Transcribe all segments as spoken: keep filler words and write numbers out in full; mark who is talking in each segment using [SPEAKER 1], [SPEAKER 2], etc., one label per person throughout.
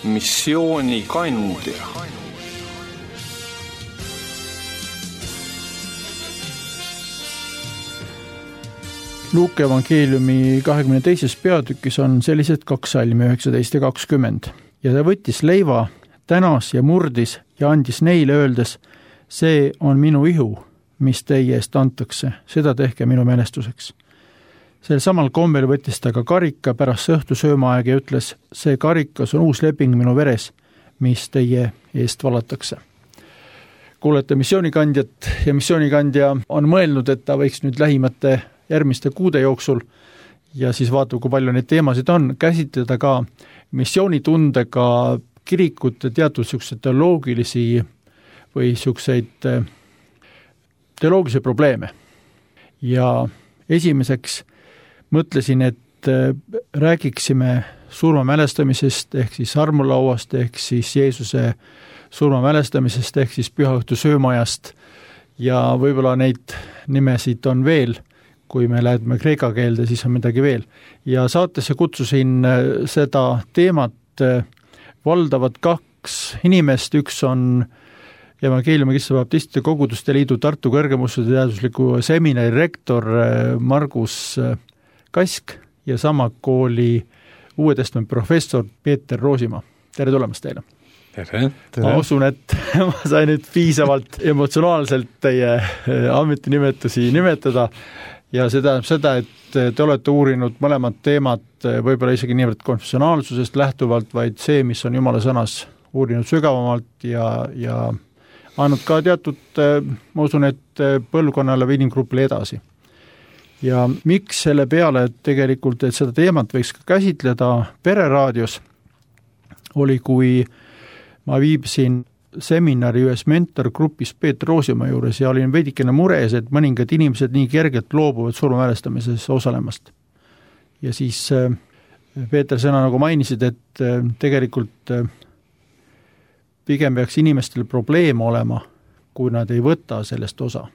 [SPEAKER 1] missioonikandja.
[SPEAKER 2] Luuke evangeeliumi kahekümne teises peatükis on sellised kaks salmi üheksateist ja kakskümmend. Ja ta võttis leiva, tänas ja murdis ja andis neile öeldes, see on minu ihu, mis teie eest antakse, seda tehke minu mälestuseks. Sel samal kombel võttis ta ka karika pärast õhtu söömaaeg ja ütles, see karikas on uus leping minu veres, mis teie eest valatakse. Kuulete missioonikandjat ja missioonikandja on mõelnud, et ta võiks nüüd lähimate järgmiste kuude jooksul ja siis vaatab, kui palju neid teemasid on, käsitleda ka missioonitundega kirikute teatud selliseid teoloogilisi või selliseid teoloogilisi probleeme. Ja esimeseks mõtlesin, et räägiksime surma mälestamisest ehk siis armulauast ehk siis Jeesuse surma mälestamisest ehk siis pühaõhtu söömajast ja võib-olla neid nimesid on veel, kui me läheme kreeka keelde, siis on midagi veel. Ja saatesse kutsusin seda teemat valdavad kaks inimest, üks on evangeeliumi Kristuse Baptistide Koguduste Liidu Tartu kõrgemuskade teadusliku seminari rektor Margus Kask ja sama kooli Uue Testamendi professor Peeter Roosimaa. Tere tulemast teile!
[SPEAKER 1] Tere, tere.
[SPEAKER 2] Ma usun, et ma sain nüüd piisavalt emotsionaalselt teie ametinimetusi nimetada ja see tähendab seda, et te olete uurinud mõlemad teemad võib-olla isegi niivõrd konfessionaalsusest lähtuvalt, vaid see, mis on Jumala sõnas uurinud sügavamalt ja, ja andnud ka teatud, ma usun, et põlvkonnale või inimgrupile edasi. Ja miks selle peale tegelikult, et seda teemat võiks ka käsitleda pereraadios, oli, kui ma viibsin seminari ühes mentorgrupis Peeter Roosimaa juures ja olin veidikene mures, et mõningad inimesed nii kergelt loobuvad surma mälestamises osalemast. Ja siis Peeter sõna nagu mainisid, et tegelikult pigem peaks inimestel probleem olema, kui nad ei võta sellest osa.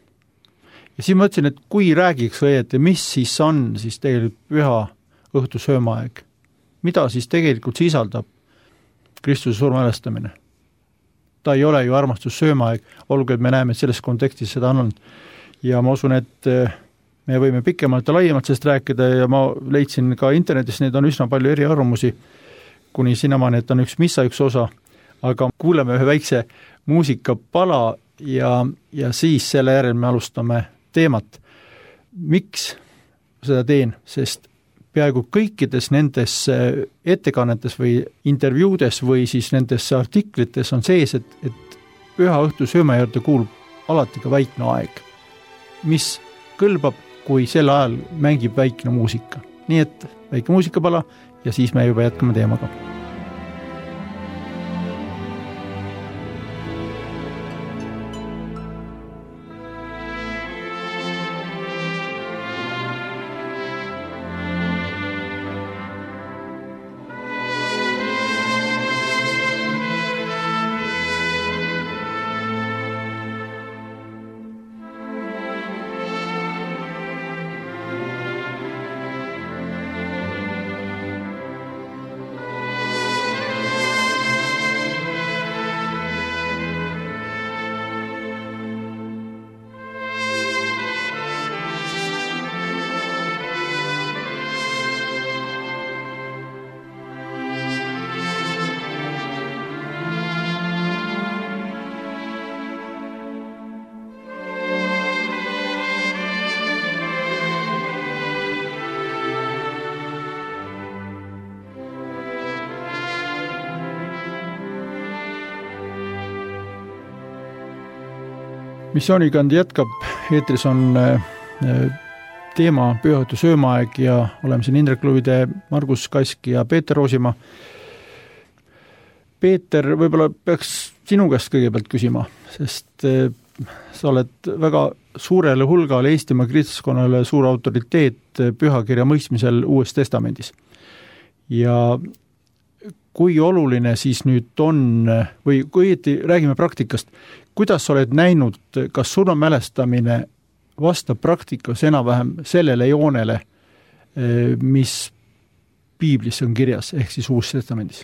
[SPEAKER 2] Ja siis mõtlesin, et kui räägiks õieti, mis siis on siis tegelikult püha õhtu söömaaeg, mida siis tegelikult sisaldab Kristuse surma mälestamine. Ta ei ole ju armastus söömaaeg, olgu, et me näeme, et selles kontekstis seda on. Ja ma usun, et me võime pikemalt ja laiemalt sellest rääkida ja ma leidsin ka internetis, neid on üsna palju eri arvamusi, kuni sinnamaani, et on üks missa üks osa, aga kuuleme ühe väikse muusikapala ja, ja siis selle järel me alustame teemat. Miks seda teen? Sest peaaegu kõikides nendes ettekannetes või intervjuudes või siis nendes artiklites on sees, et, et püha õhtu sööma juurde kuulub alati ka väikne aeg, mis kõlbab, kui sel ajal mängib väikne muusika. Nii et väike muusikapala ja siis me juba jätkame teemaga. Missioonikandi jätkab, eetris on teema pühaõhtu söömaaeg ja oleme siin Indrek Luvide, Margus Kask ja Peeter Roosimaa. Peeter, võib-olla peaks sinu käest kõigepealt küsima, sest sa oled väga suurele hulgale Eestimaa kristlaskonnale suur autoriteet pühakirja mõistmisel Uues Testamendis. Ja kui oluline siis nüüd on, või kui õieti räägime praktikast, kuidas oled näinud, kas surma mälestamine vastab praktikas enam-vähem sellele joonele, mis piiblis on kirjas, ehk siis Uues Testamendis?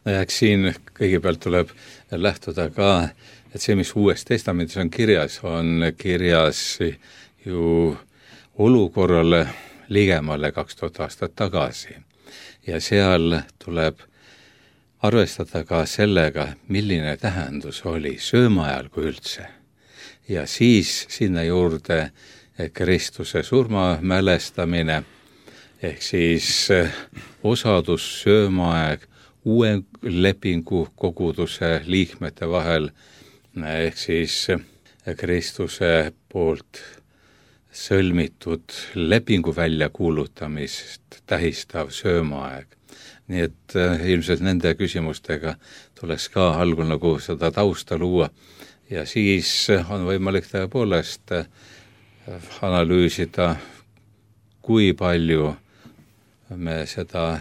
[SPEAKER 1] eks siin kõigepealt tuleb lähtuda ka, et see, mis Uues Testamendis on kirjas, on kirjas ju olukorrale ligemale kaks tuhat aastat tagasi. Ja seal tuleb arvestada ka sellega, milline tähendus oli söömaajal kui üldse. Ja siis sinna juurde Kristuse surma mälestamine, ehk siis osadus söömaaeg uue lepingu koguduse liikmete vahel, ehk siis Kristuse poolt sõlmitud lepingu väljakuulutamist tähistav söömaaeg. Nii et ilmselt nende küsimustega tuleks ka algul nagu seda tausta luua ja siis on võimalik tõepoolest analüüsida, kui palju me seda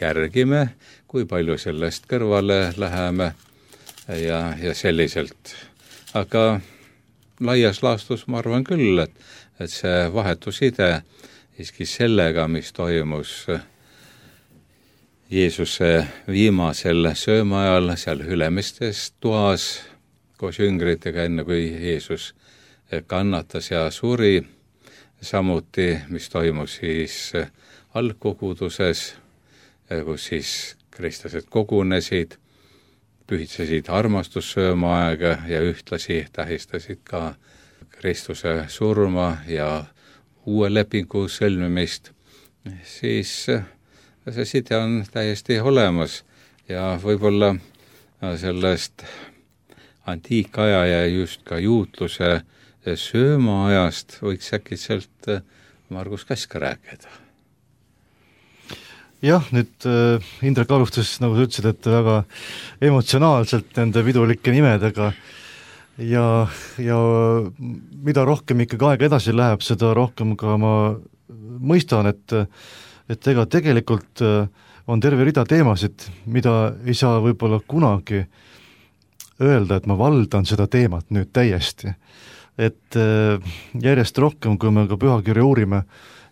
[SPEAKER 1] järgime, kui palju sellest kõrvale läheme ja, ja selliselt. Aga laias laastus ma arvan küll, et, et see vahetuside iski sellega, mis toimus Jeesuse viimasel söömaajal seal Ülemistes toas koos jüngritega, enne kui Jeesus kannatas ja suri, samuti, mis toimus siis algkoguduses, kus siis kristlased kogunesid, pühitsesid armastussöömaaega ja ühtlasi tähistasid ka Kristuse surma ja uue lepingu sõlmimist, siis see side on täiesti olemas ja võib-olla sellest antiikaja ja just ka juutluse söömaajast võiks äkitselt Margus Kask rääkida.
[SPEAKER 3] Jah, nüüd Indrek alustas, nagu sa ütlesid, et väga emotsionaalselt nende vidulike nimedega ja, ja mida rohkem ikkagi aega edasi läheb, seda rohkem ka ma mõistan, et et ega tegelikult on terve rida teemasid, mida ei saa võib-olla kunagi öelda, et ma valdan seda teemat nüüd täiesti. Et järjest rohkem, kui me ka pühakirja uurime,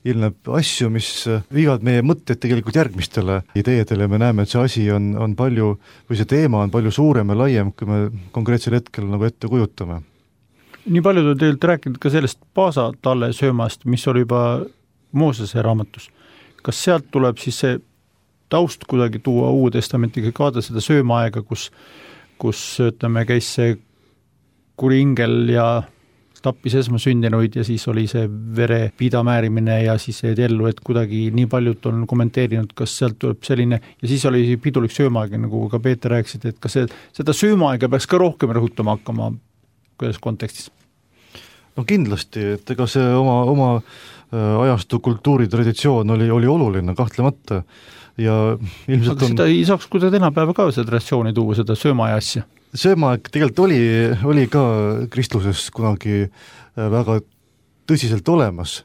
[SPEAKER 3] ilmneb asju, mis viivad meie mõtted tegelikult järgmistele ideedele ja me näeme, et see asi on, on palju, või see teema on palju suurem ja laiem, kui me konkreetsel hetkel nagu ette kujutame.
[SPEAKER 2] Nii paljud on teilt rääkinud ka sellest Paasa talle söömast, mis oli juba Moosese raamatus. Kas sealt tuleb siis see taust kuidagi tuua Uue Testamentiga kaada seda söömaaega, kus, kus ütleme, käis see kuri ingel ja tappis esmasündinuid ja siis oli see vere pidamäärimine ja siis jäid ellu, et kuidagi nii paljud on kommenteerinud, kas sealt tuleb selline, ja siis oli pidulik söömaaega, nagu ka Peeter rääkisid, et kas see, seda söömaaega peaks ka rohkem rõhutama hakkama kuidas kontekstis?
[SPEAKER 3] No kindlasti, et ega see oma, oma ajastu kultuuritraditsioon oli, oli oluline kahtlemata ja ilmselt
[SPEAKER 2] aga seda on... ei saaks kuidagi tänapäeva ka seda traditsiooni tuua, seda söömaaja asja?
[SPEAKER 3] Söömaaeg tegelikult oli, oli ka kristluses kunagi väga tõsiselt olemas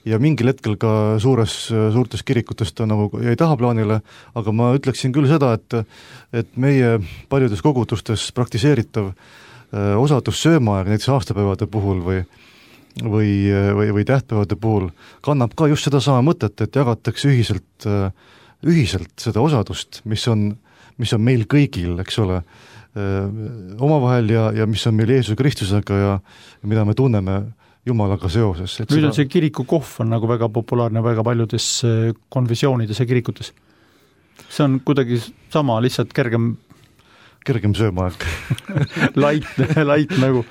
[SPEAKER 3] ja mingil hetkel ka suures, suurtes kirikutes ta nagu jäi tahaplaanile, aga ma ütleksin küll seda, et, et meie paljudes kogudustes praktiseeritav osadus söömaaeg näiteks aastapäevade puhul või või, või, või tähtpäevade puhul kannab ka just seda sama mõtet, et jagatakse ühiselt, ühiselt seda osadust, mis on, mis on meil kõigil, eks ole, omavahel ja, ja mis on meil Jeesuse Kristusega ja, ja mida me tunneme Jumalaga seoses.
[SPEAKER 2] Nüüd seda... on see kirikukohv on nagu väga populaarne väga paljudes konfessioonides ja kirikutes. See on kuidagi sama, lihtsalt kergem
[SPEAKER 3] kergem söömaaeg.
[SPEAKER 2] light, light nagu.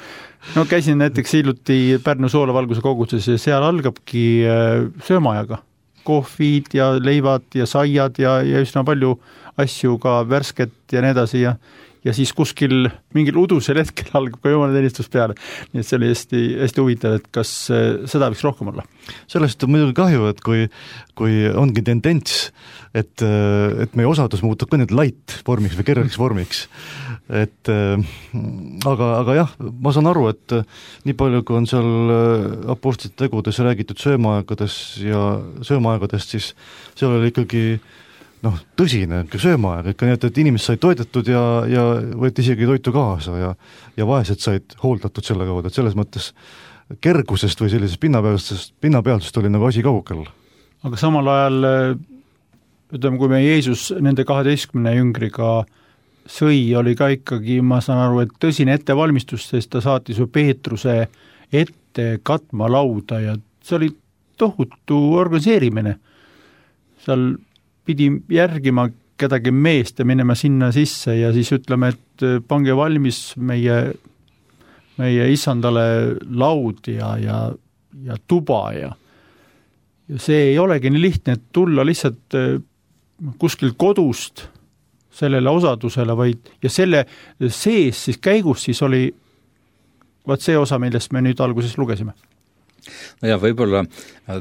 [SPEAKER 2] No käisin näiteks hiljuti Pärnu Soolavalguse koguduses ja seal algabki söömaajaga. Kohvid ja leivad ja saiad ja, ja üsna palju asju ka värsket ja nii edasi ja, ja siis kuskil mingil udusel hetkel algab ka jumalateenistus peale. Nii et see oli hästi, hästi huvitav, et kas seda võiks rohkem olla.
[SPEAKER 3] Sellest on muidugi kahju, et kui, kui ongi tendents, et, et meie osadus muutub ka nüüd light vormiks või kergeks vormiks. Et, aga, aga jah, ma saan aru, et nii palju, kui on seal apostlite tegudes räägitud söömaaegades ja söömaaegadest, siis seal oli ikkagi noh, tõsine söömaaeg, ikka nii, et, et inimesed said toidetud ja, ja võeti isegi toitu kaasa ja, ja vaesed said hooldatud selle kaudu, et selles mõttes kergusest või sellisest pinnapealsest, pinnapealsest oli nagu asi kaugel.
[SPEAKER 2] Aga samal ajal, ütleme, kui me Jeesus nende kaheteistkümne jüngriga sõi, oli ka ikkagi, ma saan aru, et tõsine ettevalmistus, sest ta saatis ju Peetruse ette katma lauda ja see oli tohutu organiseerimine. Seal pidi järgima kedagi meest ja minema sinna sisse ja siis ütleme, et pange valmis meie, meie issandale laud ja, ja, ja tuba ja, ja see ei olegi nii lihtne, et tulla lihtsalt kuskil kodust sellele osadusele, vaid ja selle sees siis käigus siis oli vaat see osa, millest me nüüd alguses lugesime.
[SPEAKER 1] No ja võib-olla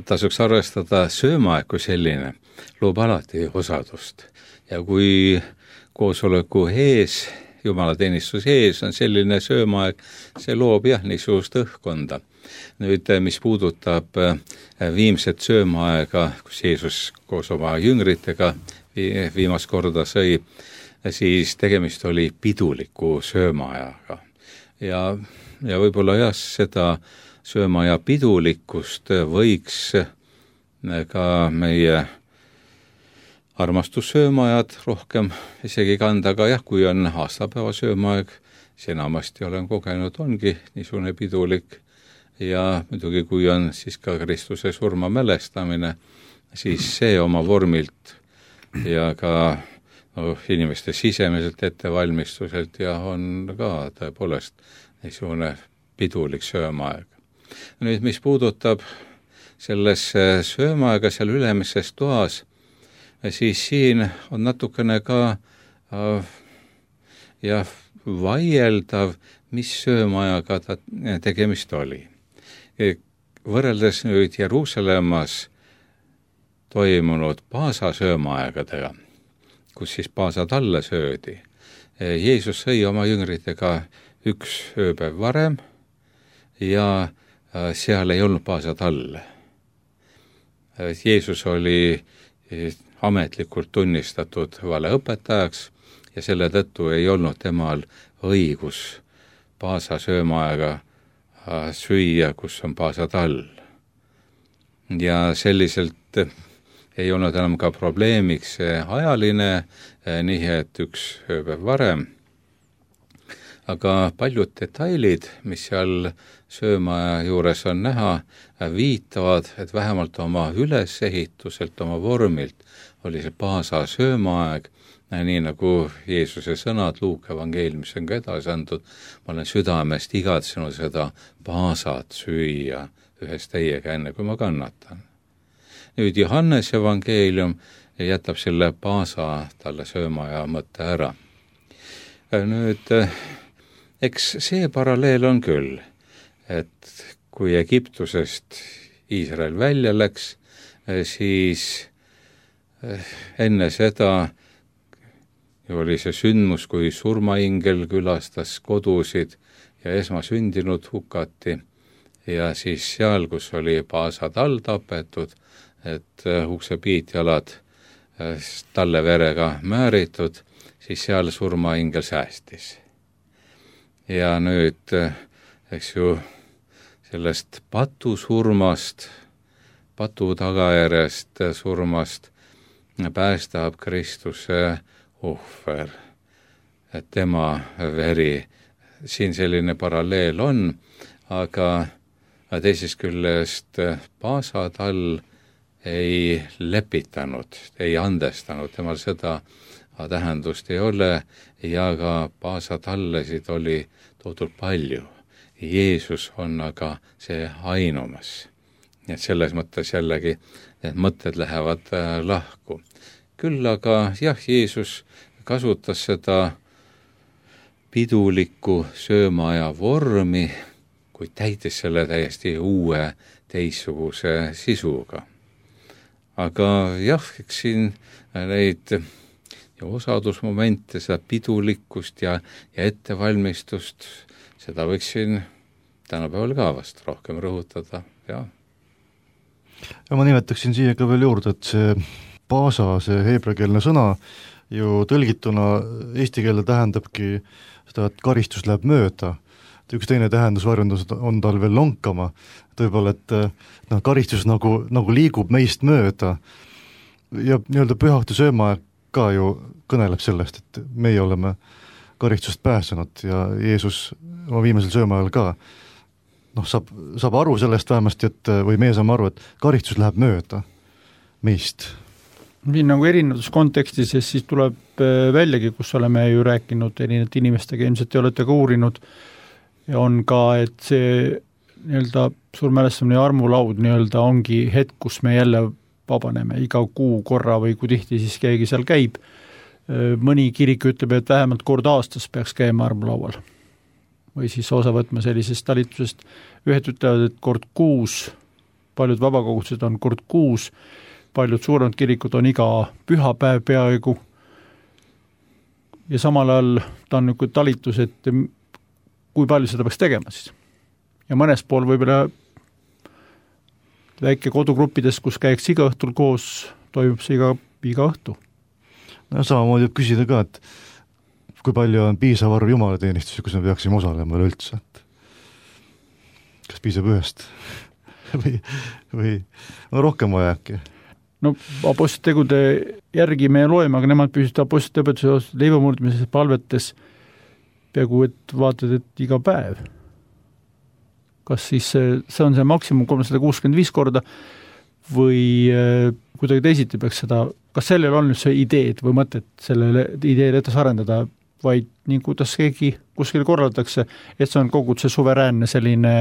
[SPEAKER 1] tasuks arvestada söömaaeg kui selline, loob alati osadust. Ja kui koosoleku ees, jumalateenistus ees on selline söömaaeg, see loob jah niisugust õhkkonda. Nüüd, mis puudutab viimset söömaaega, kus Jeesus koos oma jüngritega viimast korda sõi, siis tegemist oli piduliku söömaajaga. Ja, ja võib-olla jah, seda söömaaja pidulikkust võiks ka meie armastussöömaajad rohkem isegi kanda, aga jah, kui on aastapäeva söömaaeg, siis enamasti olen kogenud, ongi niisugune pidulik ja muidugi kui on siis ka Kristuse surma mälestamine, siis see oma vormilt ja ka no, inimeste sisemiselt ettevalmistuselt ja on ka tõepoolest niisugune pidulik söömaaeg. Nüüd, mis puudutab selles söömaaega seal ülemises toas, siis siin on natukene ka äh, jah, vaieldav, mis söömaajaga ta tegemist oli. Võrreldes nüüd Jeruusalemmas toimunud paasa söömaaegadega, kus siis paasad alla söödi. Jeesus sõi oma jüngritega üks ööpäev varem ja seal ei olnud paasad all. Jeesus oli ametlikult tunnistatud valeõpetajaks ja selle tõttu ei olnud temal õigus paasa söömaaega süüa, kus on paasad all. Ja selliselt ei olnud enam ka probleemiks ajaline nihe, et üks ööpäev varem. Aga paljud detailid, mis seal söömaaja juures on näha, viitavad, et vähemalt oma ülesehituselt, oma vormilt oli see paasa söömaaeg, nii nagu Jeesuse sõnad Luuke evangeeliumis on ka edasi antud, ma olen südamest igatsenud seda paasat süüa ühes teiega enne, kui ma kannatan. Nüüd Johannes evangeelium jätab selle paasa talle söömaaja mõtte ära. Nüüd, eks see paralleel on küll, et kui Egiptusest Iisrael välja läks, siis enne seda oli see sündmus, kui surmaingel külastas kodusid ja esmasündinud hukati ja siis seal, kus oli paasad all tapetud, et uksepiitjalad talle verega määritud, siis seal surmaingel säästis. Ja nüüd, eks ju, sellest patusurmast, patu tagajärjest surmast päästab Kristuse ohver, et tema veri, siin selline paralleel on, aga teisest küljest paasad all ei lepitanud, ei andestanud, temal seda tähendust ei ole ja ka paasad allesid oli toodud palju. Jeesus on aga see ainumas. Et selles mõttes jällegi need mõtted lähevad lahku. Küll aga jah, Jeesus kasutas seda pidulikku söömaaja vormi, kui täitis selle täiesti uue teistsuguse sisuga. Aga jah, eks siin neid ja osadusmomente, seda pidulikkust ja, ja ettevalmistust, seda võiksin tänapäeval ka vast rohkem rõhutada, jah.
[SPEAKER 3] Ja ma nimetaksin siia ka veel juurde, et see paasa, see heebreakeelne sõna ju tõlgituna eesti keelde tähendabki seda, et karistus läheb mööda. Üks teine tähendusvarjundus on tal veel lonkama, tõepoolest, et no, karistus nagu, nagu liigub meist mööda ja nii-öelda pühakti söömaaeg ka ju kõneleb sellest, et meie oleme karistust pääsenud ja Jeesus oma viimasel sööma ajal ka noh, saab, saab aru sellest vähemasti, et või meie saame aru, et karistus läheb mööda meist.
[SPEAKER 2] Siin nagu erinevates kontekstis ja siis tuleb väljagi, kus oleme ju rääkinud erinevate inimestega, ilmselt te olete ka uurinud ja on ka, et see nii-öelda surmälestamine ja armulaud nii-öelda ongi hetk, kus me jälle vabaneme iga kuu korra või kui tihti siis keegi seal käib. Mõni kirik ütleb, et vähemalt kord aastas peaks käima armulaual või siis osa võtma sellisest talitusest. Ühed ütlevad, et kord kuus, paljud vabakogudused on kord kuus, paljud suuremad kirikud on iga pühapäev peaaegu ja samal ajal ta on niisugune talitus, et kui palju seda peaks tegema siis. Ja mõnes pool võib-olla väike kodugruppides, kus käiks iga õhtul koos, toimub see iga, iga õhtu.
[SPEAKER 3] No samamoodi võib küsida ka, et kui palju on piisav arv jumalateenistusi, kus me peaksime osalema üldse, et kas piisab ühest või, või on rohkem vaja äkki?
[SPEAKER 2] No apostlite tegude järgi me loeme, aga nemad püsid apostlite õpetuse leivamurdmises palvetes peaaegu, et vaatad, et iga päev. Kas siis see on see maksimum kolmsada kuuskümmend viis korda või kuidagi teisiti peaks seda, kas sellel on nüüd see ideed või mõtet sellele ideele etas arendada, vaid nii kuidas keegi kuskil korraldatakse, et see on kogu see suveräänne selline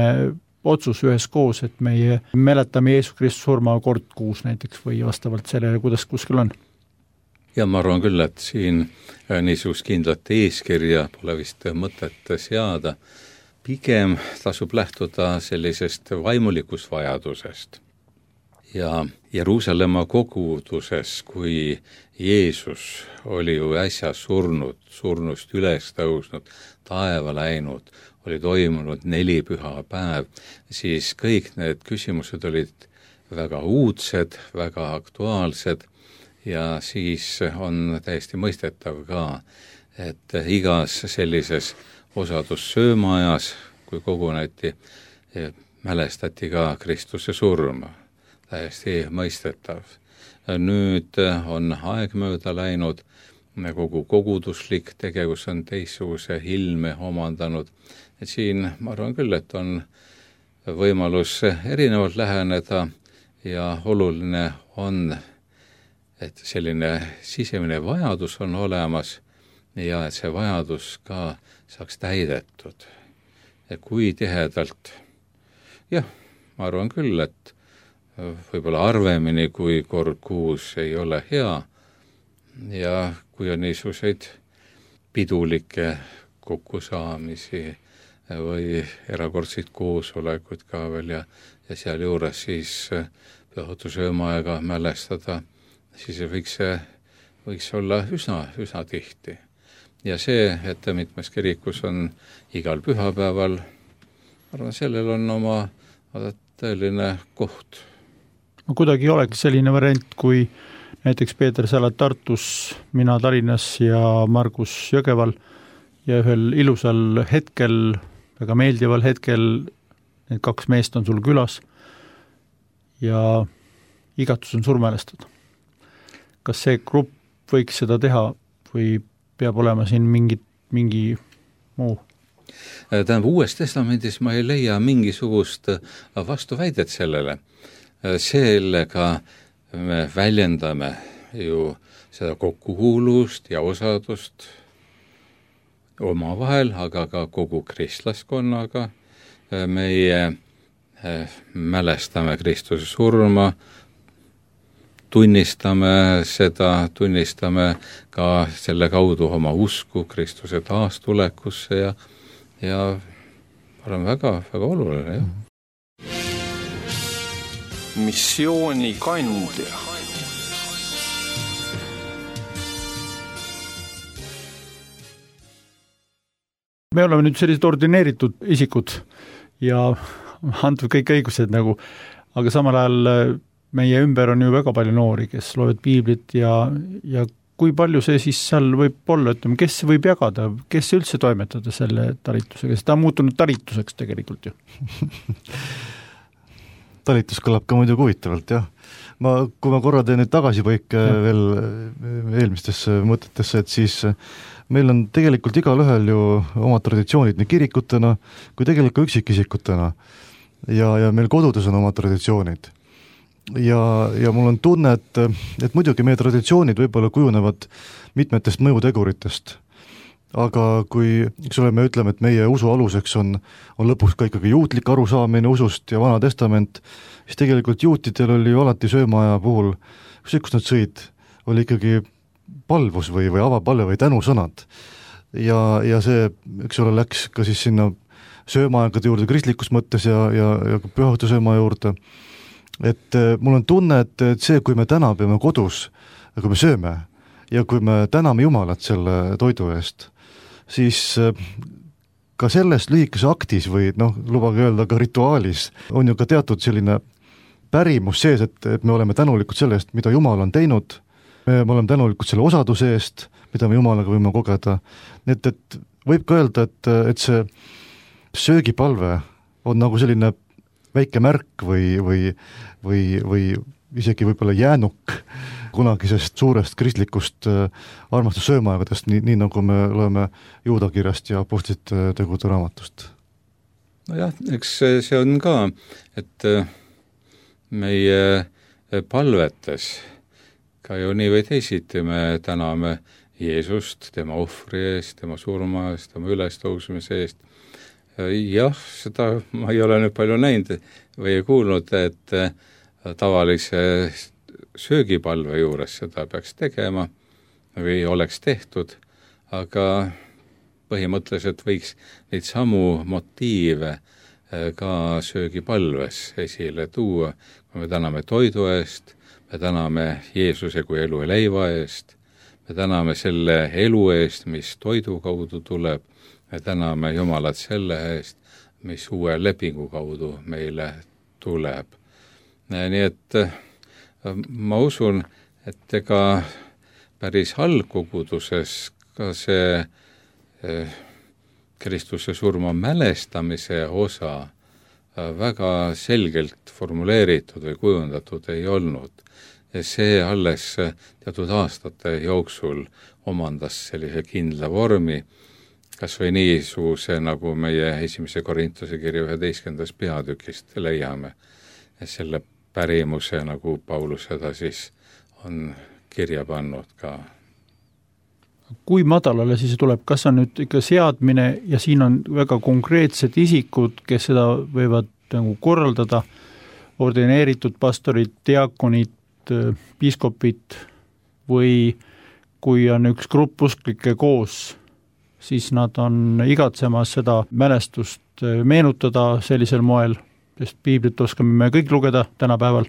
[SPEAKER 2] otsus ühes koos, et meie mäletame Jeesus Kristus surma kord kuus näiteks või vastavalt sellele, kuidas kuskil on.
[SPEAKER 1] Ja ma arvan küll, et siin niisugust kindlat eeskirja pole vist mõtet seada. Pigem tasub lähtuda sellisest vaimulikust vajadusest. Ja Jeruusalemma koguduses, kui Jeesus oli ju äsja surnud, surnust üles tõusnud, taeva läinud, oli toimunud neli püha päev, siis kõik need küsimused olid väga uudsed, väga aktuaalsed ja siis on täiesti mõistetav ka, et igas sellises osadussöömaajas, kui koguneti, mälestati ka Kristuse surma. Täiesti mõistetav. Nüüd on aeg mööda läinud, kogu koguduslik tegevus on teistsuguse ilme omandanud. Et siin ma arvan küll, et on võimalus erinevalt läheneda ja oluline on, et selline sisemine vajadus on olemas ja et see vajadus ka saaks täidetud. Ja kui tihedalt, jah, ma arvan küll, et võib-olla arvemini, kui kord kuus ei ole hea ja kui on niisuguseid pidulikke kokkusaamisi või erakordseid koosolekuid ka veel ja, ja seal juures siis pühaõhtusöömaaega mälestada, siis võiks, võiks olla üsna, üsna tihti. Ja see, et mitmes kirikus on igal pühapäeval, arvan, sellel on oma tõeline koht.
[SPEAKER 2] No kuidagi oleks selline variant, kui näiteks Peeter Salat Tartus, mina Tallinnas ja Margus Jõgeval ja ühel ilusal hetkel, väga meeldival hetkel, need kaks meest on sul külas ja igatus on surmälestada. Kas see grupp võiks seda teha või peab olema siin mingi, mingi muu?
[SPEAKER 1] Tähendab, uues testamendis ma ei leia mingisugust vastuväidet sellele. Sellega me väljendame ju seda kokkukuulust ja osadust omavahel, aga ka kogu kristlaskonnaga. Meie mälestame Kristuse surma, tunnistame seda, tunnistame ka selle kaudu oma usku Kristuse taastulekusse ja, ja olen väga, väga oluline, jah.
[SPEAKER 4] Missiooni kandja.
[SPEAKER 2] Me oleme nüüd sellised ordineeritud isikud ja antud kõik õigused nagu, aga samal ajal meie ümber on ju väga palju noori, kes loevad piiblit ja, ja kui palju see siis seal võib olla, ütleme, kes võib jagada, kes üldse toimetada selle talitusega, sest ta on muutunud talituseks tegelikult ju.
[SPEAKER 3] Talitus kõlab ka muidu huvitavalt, jah. ma, kui ma korra teen nüüd tagasipõike ja. veel eelmistesse mõtetesse, et siis meil on tegelikult igalühel ju omad traditsioonid nii kirikutena kui tegelikult üksikisikutena ja, ja meil kodudes on omad traditsioonid. Ja, ja mul on tunne, et, et muidugi meie traditsioonid võib-olla kujunevad mitmetest mõjuteguritest. Aga kui, eks ole, me ütleme, et meie usu aluseks on, on lõpuks ka ikkagi juutlik arusaamine usust ja Vana Testament, siis tegelikult juutidel oli ju alati söömaaja puhul, kus, kus nad sõid, oli ikkagi palvus või, või avapalve või tänusõnad. Ja, ja see, eks ole, läks ka siis sinna söömaaegade juurde kristlikus mõttes ja, ja, ja pühahõitu söömaa juurde. Et mul on tunne, et, et see, kui me täna peame kodus, kui me sööme ja kui me täname Jumalat selle toidu eest, siis ka selles lühikese aktis või noh, lubage öelda ka rituaalis on ju ka teatud selline pärimus sees, et, et me oleme tänulikud selle eest, mida Jumal on teinud, me, me oleme tänulikud selle osaduse eest, mida me Jumalaga võime kogeda. Nii et, et võib ka öelda, et, et see söögipalve on nagu selline väike märk või, või, või, või isegi võib-olla jäänuk kunagisest suurest kristlikust armastussöömaaegadest, nii, nii nagu me loeme Juudakirjast ja Apostlite tegude raamatust.
[SPEAKER 1] Nojah, eks see on ka, et meie palvetes ka ju nii või teisiti me täname Jeesust, tema ohvri eest, tema surma eest, tema ülestõusmise eest. Jah, seda ma ei ole nüüd palju näinud või kuulnud, et tavalise söögipalve juures seda peaks tegema või oleks tehtud, aga põhimõtteliselt võiks neid samu motiive ka söögipalves esile tuua, kui me täname toidu eest, me täname Jeesuse kui elu ja leiva eest, me täname selle elu eest, mis toidu kaudu tuleb, me täname Jumalat selle eest, mis uue lepingu kaudu meile tuleb. Nii et ma usun, et ega päris algkoguduses ka see Kristuse surma mälestamise osa väga selgelt formuleeritud või kujundatud ei olnud. See alles teatud aastate jooksul omandas sellise kindla vormi, kas või niisuguse, nagu meie esimese Korintuse kirja üheteistkümnendas peatükist leiame, selle pärimuse, nagu Paulus seda siis on kirja pannud ka.
[SPEAKER 2] Kui madalale siis tuleb, kas on nüüd ikka seadmine ja siin on väga konkreetsed isikud, kes seda võivad nagu korraldada, ordineeritud pastorid, diakonid, piiskopid või kui on üks grupp usklikke koos, siis nad on igatsemas seda mälestust meenutada sellisel moel, sest piiblit oskame me kõik lugeda tänapäeval,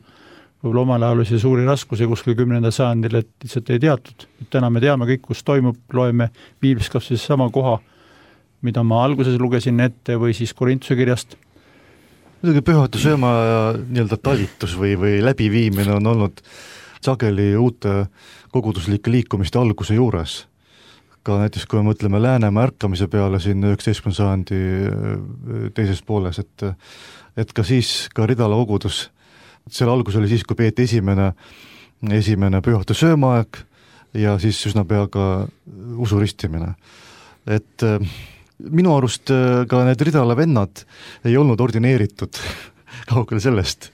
[SPEAKER 2] võib-olla omal ajal oli see suuri raskuse kuskil kümnenda sajandil, et lihtsalt ei teatud. Täna me teame kõik, kus toimub, loeme piiblis kas siis sama koha, mida ma alguses lugesin ette või siis Korintuse kirjast.
[SPEAKER 3] Muidugi pühahõitu sööma nii-öelda talitus või, või läbiviimine on olnud sageli uute koguduslike liikumiste alguse juures. Ka näiteks, kui me mõtleme Läänemaa ärkamise peale siin üheksateistkümnenda sajandi teises pooles, et et ka siis ka Ridala kogudus, selle algus oli siis, kui peeti esimene, esimene pühahõitu söömaaeg ja siis üsna pea ka usuristimine. Et minu arust ka need Ridala vennad ei olnud ordineeritud kaugele sellest,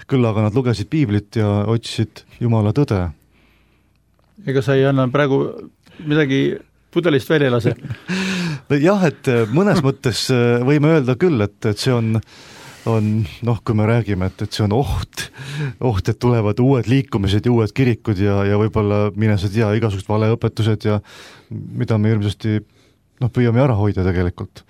[SPEAKER 3] küll aga nad lugesid piiblit ja otsisid Jumala tõde.
[SPEAKER 2] Ega sa ei anna praegu midagi pudelist välja lase?
[SPEAKER 3] Jah, et mõnes mõttes võime öelda küll, et, et see on on, noh, kui me räägime, et, et see on oht, oht, et tulevad uued liikumised ja uued kirikud ja, ja võib-olla mine sa tea igasugused valeõpetused ja mida me ilmsesti noh, püüame ära hoida tegelikult.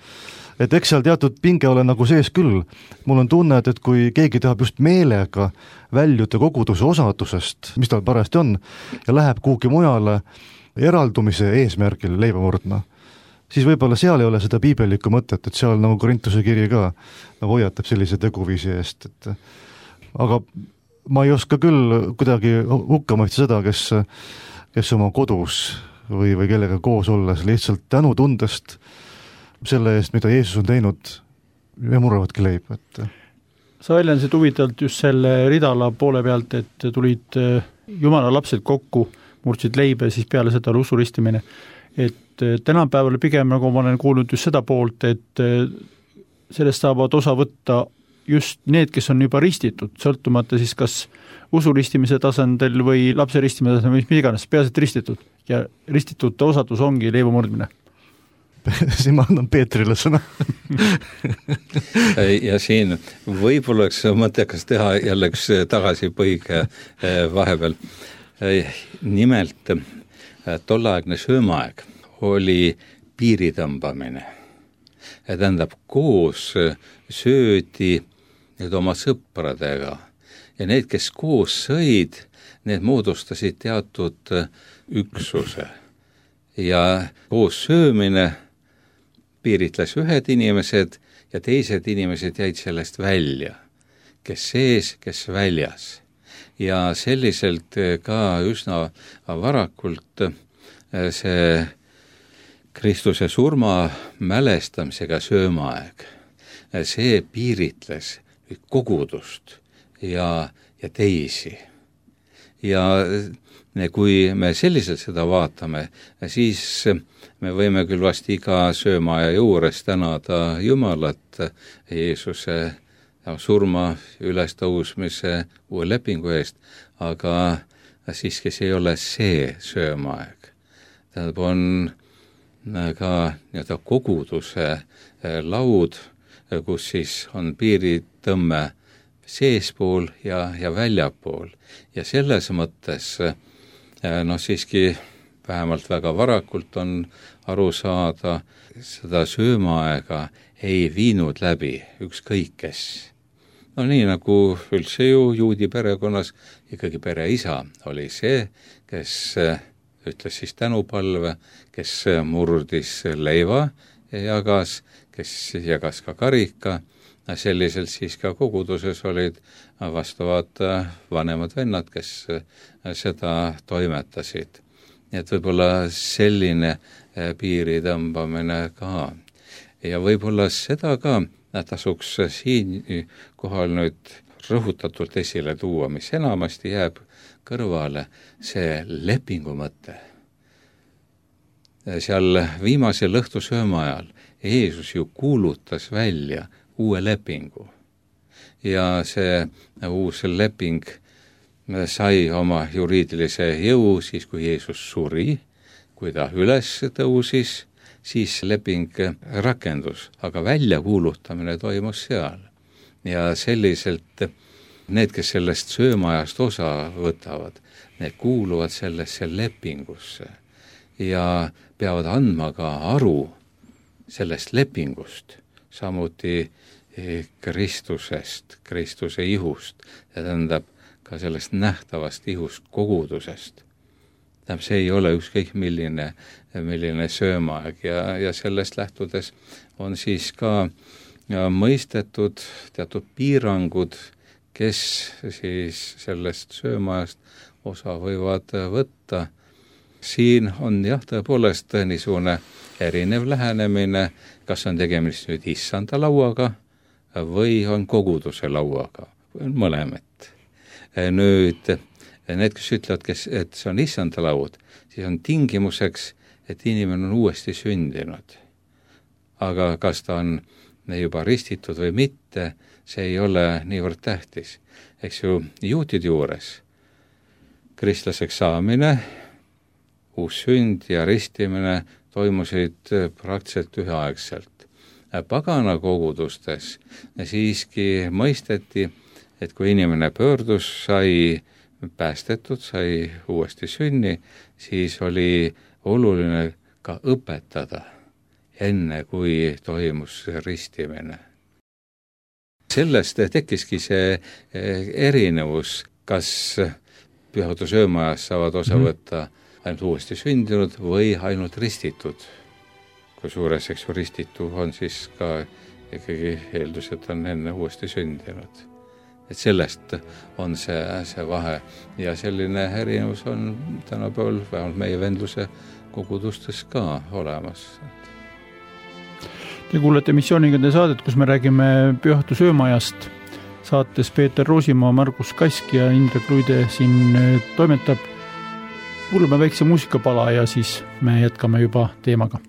[SPEAKER 3] Et eks seal teatud pinge ole nagu sees küll. Mul on tunne, et, et kui keegi tahab just meelega väljuda koguduse osadusest, mis tal parajasti on, ja läheb kuhugi mujale eraldumise eesmärgil leiba murdma, siis võib-olla seal ei ole seda piibellikku mõtet, et seal nagu Korintuse kiri ka nagu hoiatab sellise teguviisi eest. Et, aga ma ei oska küll kuidagi hukka mõista seda, kes, kes oma kodus või, või kellega koos olles lihtsalt tänutundest selle eest, mida Jeesus on teinud, ja murravadki leib. Et...
[SPEAKER 2] sa väljendasid huvitavalt just selle ridala poole pealt, et tulid Jumala lapsed kokku, murdsid leibe, siis peale seda oli usuristimine. Et tänapäeval pigem, nagu ma olen kuulnud just seda poolt, et sellest saavad osa võtta just need, kes on juba ristitud, sõltumata siis kas usulistimise tasandil või lapse ristimise tasandil või mis iganes, peaasjalt ristitud. Ja ristitute osadus ongi leiva murdmine.
[SPEAKER 3] Siin ma annan Peetrile sõna.
[SPEAKER 1] Ja siin võib-olla oleks mõttekas teha jälle üks tagasipõige vahepeal. Nimelt tolleaegne söömaaeg oli piiritõmbamine. Ja tähendab, koos söödi nüüd oma sõpradega ja need, kes koos sõid, need moodustasid teatud üksuse. Ja koos söömine piiritles ühed inimesed ja teised inimesed jäid sellest välja, kes sees, kes väljas. Ja selliselt ka üsna varakult see Kristuse surma mälestamisega söömaaeg, see piiritles kogudust ja, ja teisi. Ja kui me selliselt seda vaatame, siis me võime küll vast iga söömaaja juures tänada Jumalat Jeesuse surma ülestõusmise uue lepingu eest, aga siiski see ei ole see söömaaeg. Tähendab, on ka nii-öelda koguduse laud, kus siis on piiritõmme seespool ja, ja väljapool. Ja selles mõttes noh, siiski vähemalt väga varakult on aru saada, seda söömaaega ei viinud läbi ükskõik kes. No nii nagu üldse ju juudi perekonnas ikkagi pereisa oli see, kes ütles siis tänupalve, kes murdis leiva ja jagas, kes jagas ka karika. Selliselt siis ka koguduses olid vastavad vanemad vennad, kes seda toimetasid. Nii et võib-olla selline piiri tõmbamine ka. Ja võib-olla seda ka tasuks siin kohal nüüd rõhutatult esile tuua, mis enamasti jääb kõrvale, see lepingu mõte. Seal viimasel õhtusööma ajal Jeesus ju kuulutas välja uue lepingu. Ja see uus leping sai oma juriidilise jõu siis, kui Jeesus suri, kui ta üles tõusis, siis leping rakendus, aga väljakuulutamine toimus seal. Ja selliselt need, kes sellest söömaajast osa võtavad, need kuuluvad sellesse lepingusse ja peavad andma ka aru sellest lepingust, samuti Kristusest, Kristuse ihust, ja tähendab ka sellest nähtavast ihust kogudusest. Tähendab, see ei ole ükskõik milline, milline söömaaeg ja, ja sellest lähtudes on siis ka ja mõistetud teatud piirangud, kes siis sellest söömaajast osa võivad võtta. Siin on jah, tõepoolest niisugune erinev lähenemine, kas on tegemist nüüd issanda lauaga või on koguduse lauaga, mõlemat. Nüüd need, kes ütlevad, kes, et see on issanda laud, siis on tingimuseks, et inimene on uuesti sündinud. Aga kas ta on juba ristitud või mitte, see ei ole niivõrd tähtis. Eks ju, juutide juures kristlaseks saamine, uus sünd ja ristimine toimusid praktiliselt üheaegselt. Pagana kogudustes siiski mõisteti, et kui inimene pöördus, sai päästetud, sai uuesti sünni, siis oli oluline ka õpetada, enne kui toimus ristimine. Sellest tekkiski see erinevus, kas pühadussöömajas saavad osa võtta ainult uuesti sündinud või ainult ristitud. Kui suures eks ristitu on siis ka ikkagi eeldus, et on enne uuesti sündinud. Et sellest on see, see vahe ja selline erinevus on tänapäeval vähemalt meie vendluse kogudustes ka olemas.
[SPEAKER 2] Te kuulete missiooningade saadet, kus me räägime pühatu söömajast saates Peeter Roosimaa, Margus Kask ja Indrek Luide siin toimetab. Kuulame väikse muusikapala ja siis me jätkame juba teemaga.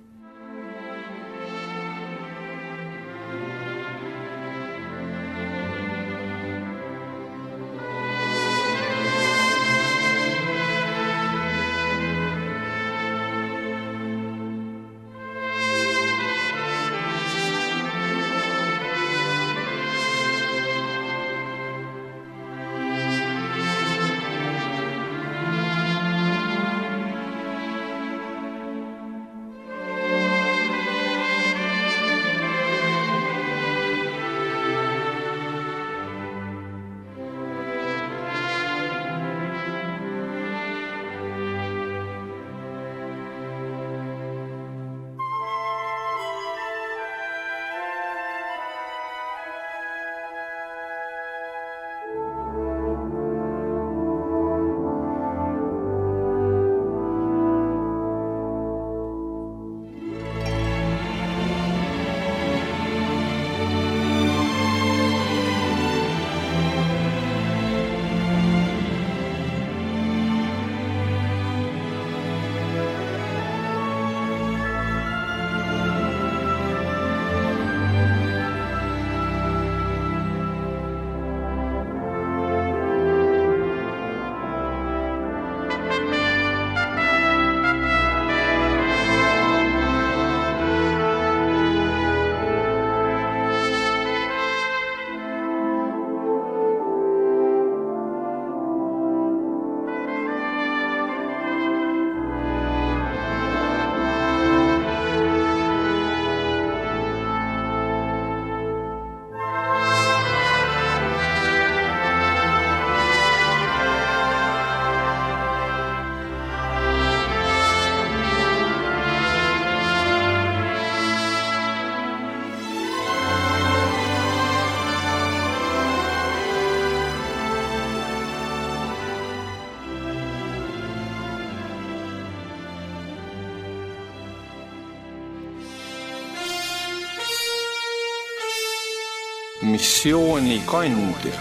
[SPEAKER 4] Missiooni kandja.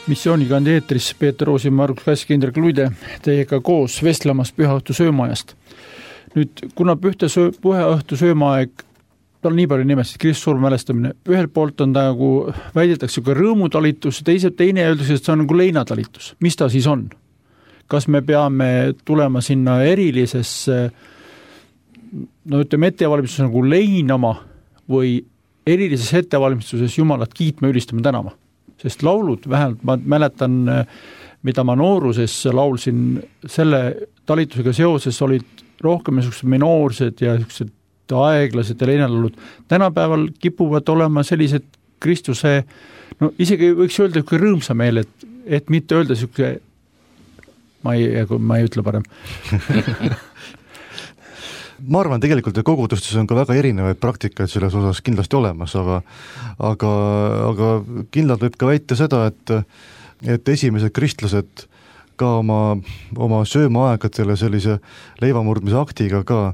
[SPEAKER 2] Missiooniga eetris Peeter Roosimaa, Margus Kask, Indrek Luide teiega koos vestlemas pühaõhtu söömaaest. Nüüd, kuna pühaõhtu söömaaeg, tal nii palju nimest, Kristuse surma mälestamine, ühelt poolt on ta nagu väidetakse ka rõõmutalitus, teise, teine öeldakse, et see on nagu leinatalitus. Mis ta siis on? Kas me peame tulema sinna erilisesse no ütleme ettevalmistuses nagu leinama või erilises ettevalmistuses Jumalat kiitma, ülistama, tänama. Sest laulud, vähemalt ma mäletan, mida ma nooruses laulsin, selle talitusega seoses olid rohkem minoorsed ja aeglased ja leinalaulud. Tänapäeval kipuvad olema sellised Kristuse, no isegi võiks öelda kui rõõmsa meel, et, et mitte öelda siuke, ma ei, ma ei ütle parem.
[SPEAKER 3] Ma arvan, tegelikult kogudustes on ka väga erinevaid praktikaid selles osas kindlasti olemas, aga, aga, aga kindlalt võib ka väita seda, et, et esimesed kristlased ka oma, oma söömaaegadele sellise leivamurdmise aktiga ka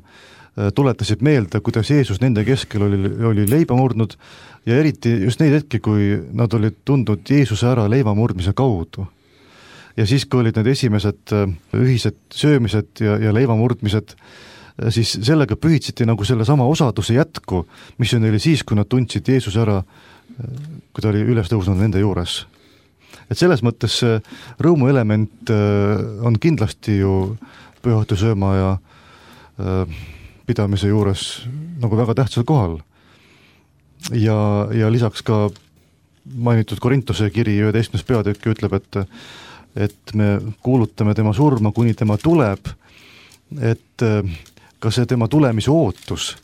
[SPEAKER 3] tuletasid meelde, kuidas Jeesus nende keskel oli, oli leiba murdnud ja eriti just neid hetki, kui nad olid tundnud Jeesuse ära leivamurdmise kaudu. Ja siis, kui olid need esimesed ühised söömised ja, ja leivamurdmised, siis sellega pühitsiti nagu selle sama osaduse jätku, mis on neil siis, kui nad tundsid Jeesus ära, kui ta oli üles tõusnud nende juures. Et selles mõttes rõõmu element on kindlasti ju pühaõhtu sööma ja pidamise juures nagu väga tähtsal kohal. Ja, ja lisaks ka mainitud Korintuse kiri üheteistkümnes peatükk ütleb, et, et me kuulutame tema surma, kuni tema tuleb, et ka see tema tulemise ootus,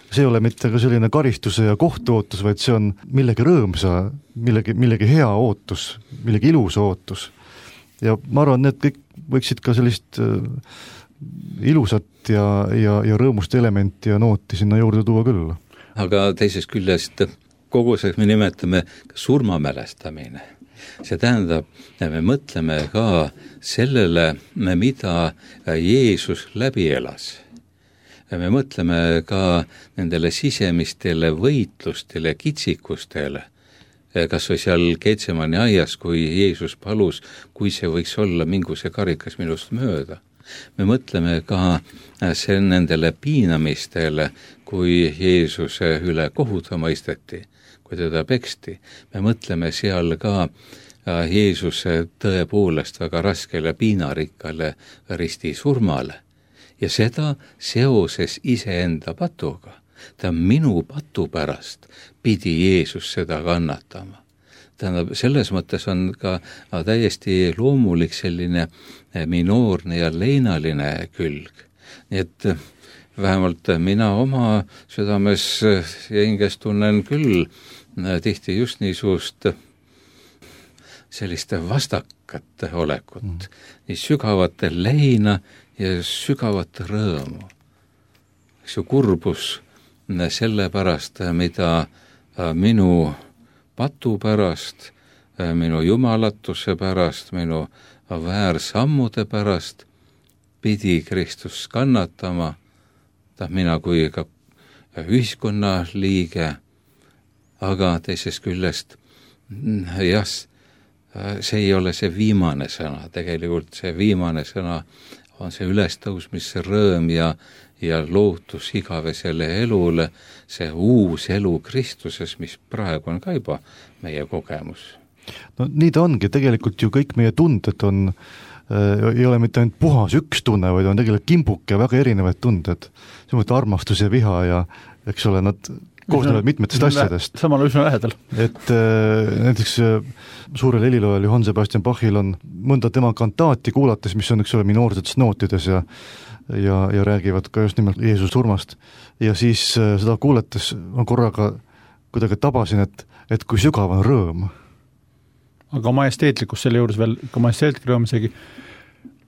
[SPEAKER 3] see ei ole mitte ka selline karistuse ja kohtu ootus, vaid see on millegi rõõmsa, millegi, millegi hea ootus, millegi ilusa ootus. Ja ma arvan, need kõik võiksid ka sellist ilusat ja, ja, ja rõõmust elementi ja nooti sinna juurde tuua küll.
[SPEAKER 1] Aga teisest küljest kogu see me nimetame surmamälestamine. See tähendab, et me mõtleme ka sellele, mida Jeesus läbi elas. me mõtleme ka nendele sisemistele võitlustele, kitsikustele, kas või seal Getsemani aias, kui Jeesus palus, kui see võiks olla, mingu see karikas minust mööda. Me mõtleme ka see nendele piinamistele, kui Jeesuse üle kohuta mõisteti, kui teda peksti. Me mõtleme seal ka Jeesuse tõepoolest väga raskele piinarikkale ristisurmale ja seda seoses iseenda patuga. Ta minu patu pärast pidi Jeesus seda kannatama. Tähendab, selles mõttes on ka täiesti loomulik selline minoorne ja leinaline külg. Nii et vähemalt mina oma südames ja hinges tunnen küll tihti just niisugust selliste vastakate olekut, mm. nii sügavat leina ja sügavat rõõmu. See kurbus selle pärast, mida minu patu pärast, minu jumalatuse pärast, minu väärsammude pärast pidi Kristus kannatama, ta mina kui ka ühiskonna liige, aga teisest küljest jah, see ei ole see viimane sõna, tegelikult see viimane sõna on see ülestõusmise rõõm ja ja lootus igavesele elule, see uus elu Kristuses, mis praegu on ka juba meie kogemus.
[SPEAKER 3] No nii ta ongi, tegelikult ju kõik meie tunded on, äh, ei ole mitte ainult puhas üks tunne, vaid on tegelikult kimbuke väga erinevaid tunded. Samuti armastus ja viha ja eks ole, nad koosnevad mitmetest asjadest.
[SPEAKER 2] Samal üsna lähedal.
[SPEAKER 3] Et äh, näiteks äh, suurel heliloojal Johann Sebastian Bachil on mõnda tema kantaati kuulates, mis on üks ole minoorsetes nootides ja ja, ja räägivad ka just nimelt Jeesus surmast. Ja siis äh, seda kuuletes ma korraga kuidagi tabasin, et, et kui sügav on rõõm.
[SPEAKER 2] Aga majesteetlikkus selle juures veel, ka majesteetlik rõõm isegi.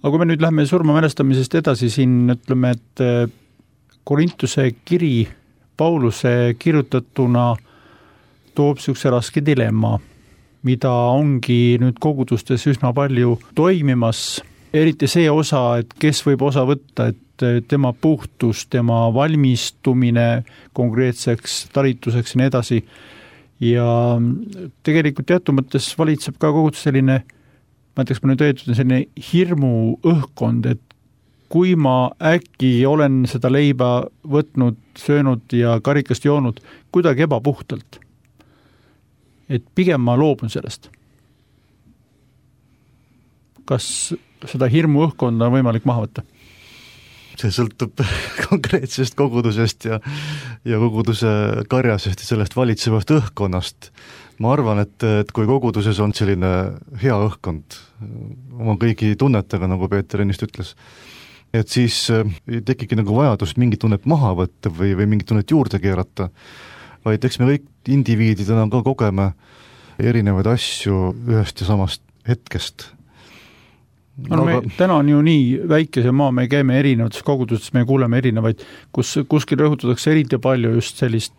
[SPEAKER 2] Aga kui me nüüd lähme surma mälestamisest edasi, siin ütleme, et Korintuse kiri Pauluse kirjutatuna toob niisuguse raske dilemma, mida ongi nüüd kogudustes üsna palju toimimas, eriti see osa, et kes võib osa võtta, et tema puhtus, tema valmistumine konkreetseks talituseks ja nii edasi. Ja tegelikult teatud mõttes valitseb ka kogudus selline, ma ütleks, ma nüüd öeldud, selline hirmu õhkkond, et kui ma äkki olen seda leiba võtnud, söönud ja karikast joonud kuidagi ebapuhtalt, et pigem ma loobun sellest. Kas seda hirmu õhkkonda on võimalik maha võtta?
[SPEAKER 3] See sõltub konkreetsest kogudusest ja, ja koguduse karjasest ja sellest valitsevast õhkkonnast. Ma arvan, et, et kui koguduses on selline hea õhkkond oma kõigi tunnetega, nagu Peeter ennist ütles, et siis ei tekigi nagu vajadus mingit tunnet maha võtta või, või mingit tunnet juurde keerata, vaid eks me kõik indiviididena ka kogeme erinevaid asju ühest ja samast hetkest.
[SPEAKER 2] No, me, aga... täna on ju nii väikese maa, me käime erinevates kogudustes, me kuuleme erinevaid, kus kuskil rõhutatakse eriti palju just sellist,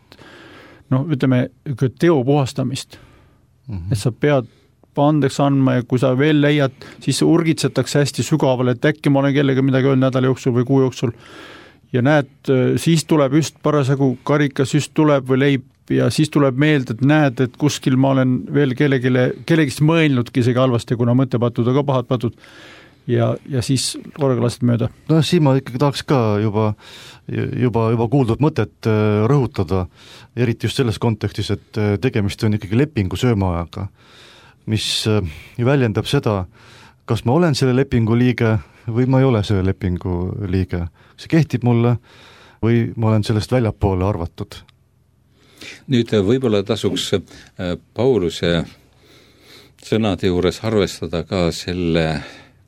[SPEAKER 2] noh, ütleme, teo puhastamist. Mm-hmm. Et sa pead andeks andma ja kui sa veel leiad, siis urgitsetakse hästi sügavale, et äkki ma olen kellega midagi öelnud nädala jooksul või kuu jooksul. Ja näed, siis tuleb just parasagu karikas, just tuleb või leib ja siis tuleb meelde, et näed, et kuskil ma olen veel kellegile, kellegist mõelnudki isegi halvasti, kuna mõttepatud on ka pahad patud ja, ja siis korraga lased mööda.
[SPEAKER 3] No siin ma ikkagi tahaks ka juba, juba, juba kuuldud mõtet rõhutada, eriti just selles kontekstis, et tegemist on ikkagi lepingu söömaajaga, mis väljendab seda, kas ma olen selle lepingu liige või ma ei ole selle lepingu liige. See kehtib mulle või ma olen sellest väljapoole arvatud.
[SPEAKER 1] Nüüd võib-olla tasuks Pauluse sõnade juures arvestada ka selle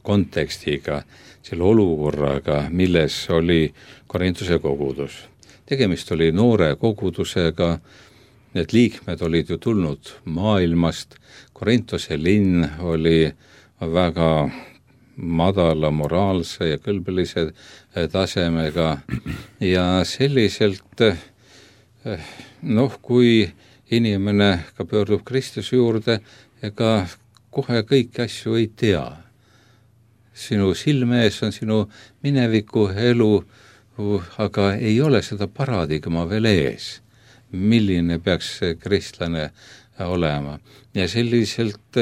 [SPEAKER 1] kontekstiga, selle olukorraga, milles oli Korintuse kogudus. Tegemist oli noore kogudusega, need liikmed olid ju tulnud maailmast, Korintuse linn oli väga madala moraalse ja kõlbelise tasemega ja selliselt noh, kui inimene ka pöördub Kristuse juurde, ega kohe kõiki asju ei tea. Sinu silme ees on sinu mineviku elu aga ei ole seda paradigma veel ees, milline peaks see kristlane olema. Ja selliselt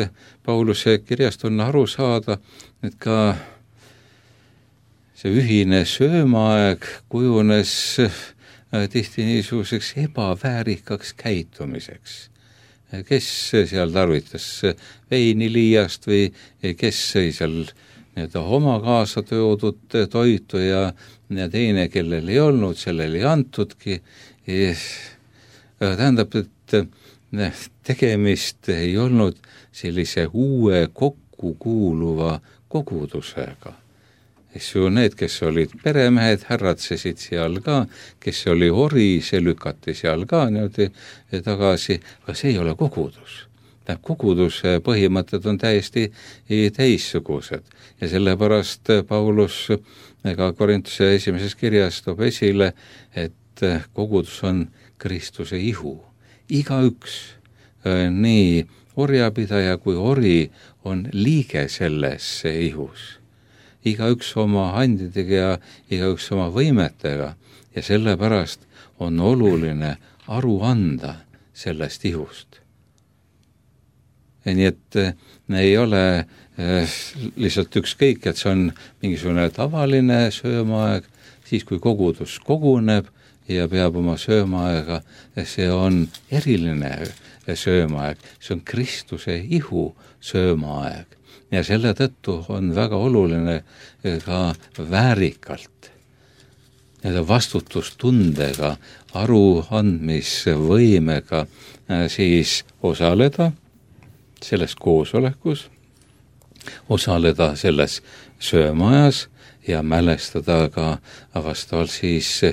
[SPEAKER 1] Pauluse kirjast on aru saada, et ka see ühine söömaaeg kujunes tihti niisuguseks ebaväärikaks käitumiseks. Kes seal tarvitas veini liiast või kes sõi seal nii-öelda oma kaasa toodud toitu ja, ja teine, kellel ei olnud, sellel ei antudki. Tähendab, et tegemist ei olnud sellise uue kokkukuuluva kogudusega. Need, kes olid peremehed, härratsesid seal ka, kes oli ori, see lükati seal ka niimoodi tagasi, aga see ei ole kogudus. Koguduse põhimõtted on täiesti teissugused ja sellepärast Paulus ka Korintuse esimeses kirjas toob esile, et kogudus on Kristuse ihu. Igaüks, nii orjapidaja kui ori, on liige selles ihus. Igaüks oma handidega ja igaüks oma võimetega ja sellepärast on oluline aru anda sellest ihust. Ja nii et ei ole lihtsalt ükskõik, et see on mingisugune tavaline söömaaeg, siis kui kogudus koguneb ja peab oma söömaaega, see on eriline söömaaeg, see on Kristuse ihu söömaaeg. Ja selle tõttu on väga oluline ka väärikalt ja vastutustundega, aruandmisvõimega siis osaleda selles koosolekus, osaleda selles söömajas ja mälestada ka vastavalt siis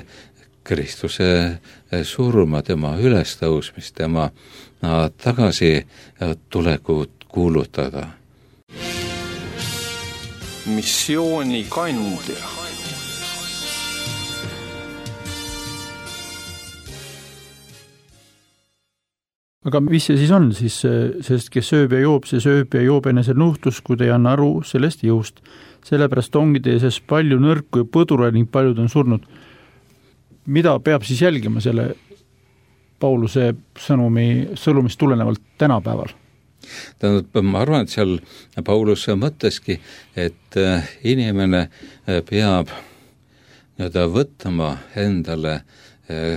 [SPEAKER 1] Kristuse surma, tema ülestõusmist, tema tagasi tulekut kuulutada.
[SPEAKER 4] Missiooni kandja.
[SPEAKER 2] Aga mis see siis on siis, sest kes sööb ja joob, see sööb ja joob enese nuhtlus, kui te ei anna aru sellest jõust. Sellepärast ongi teie sees palju nõrku ja põdura ning paljud on surnud. Mida peab siis jälgima selle Pauluse sõnumi, sõnumist tulenevalt tänapäeval?
[SPEAKER 1] Tähendab, ma arvan, et seal Paulus mõtteski, et inimene peab nii-öelda võtma endale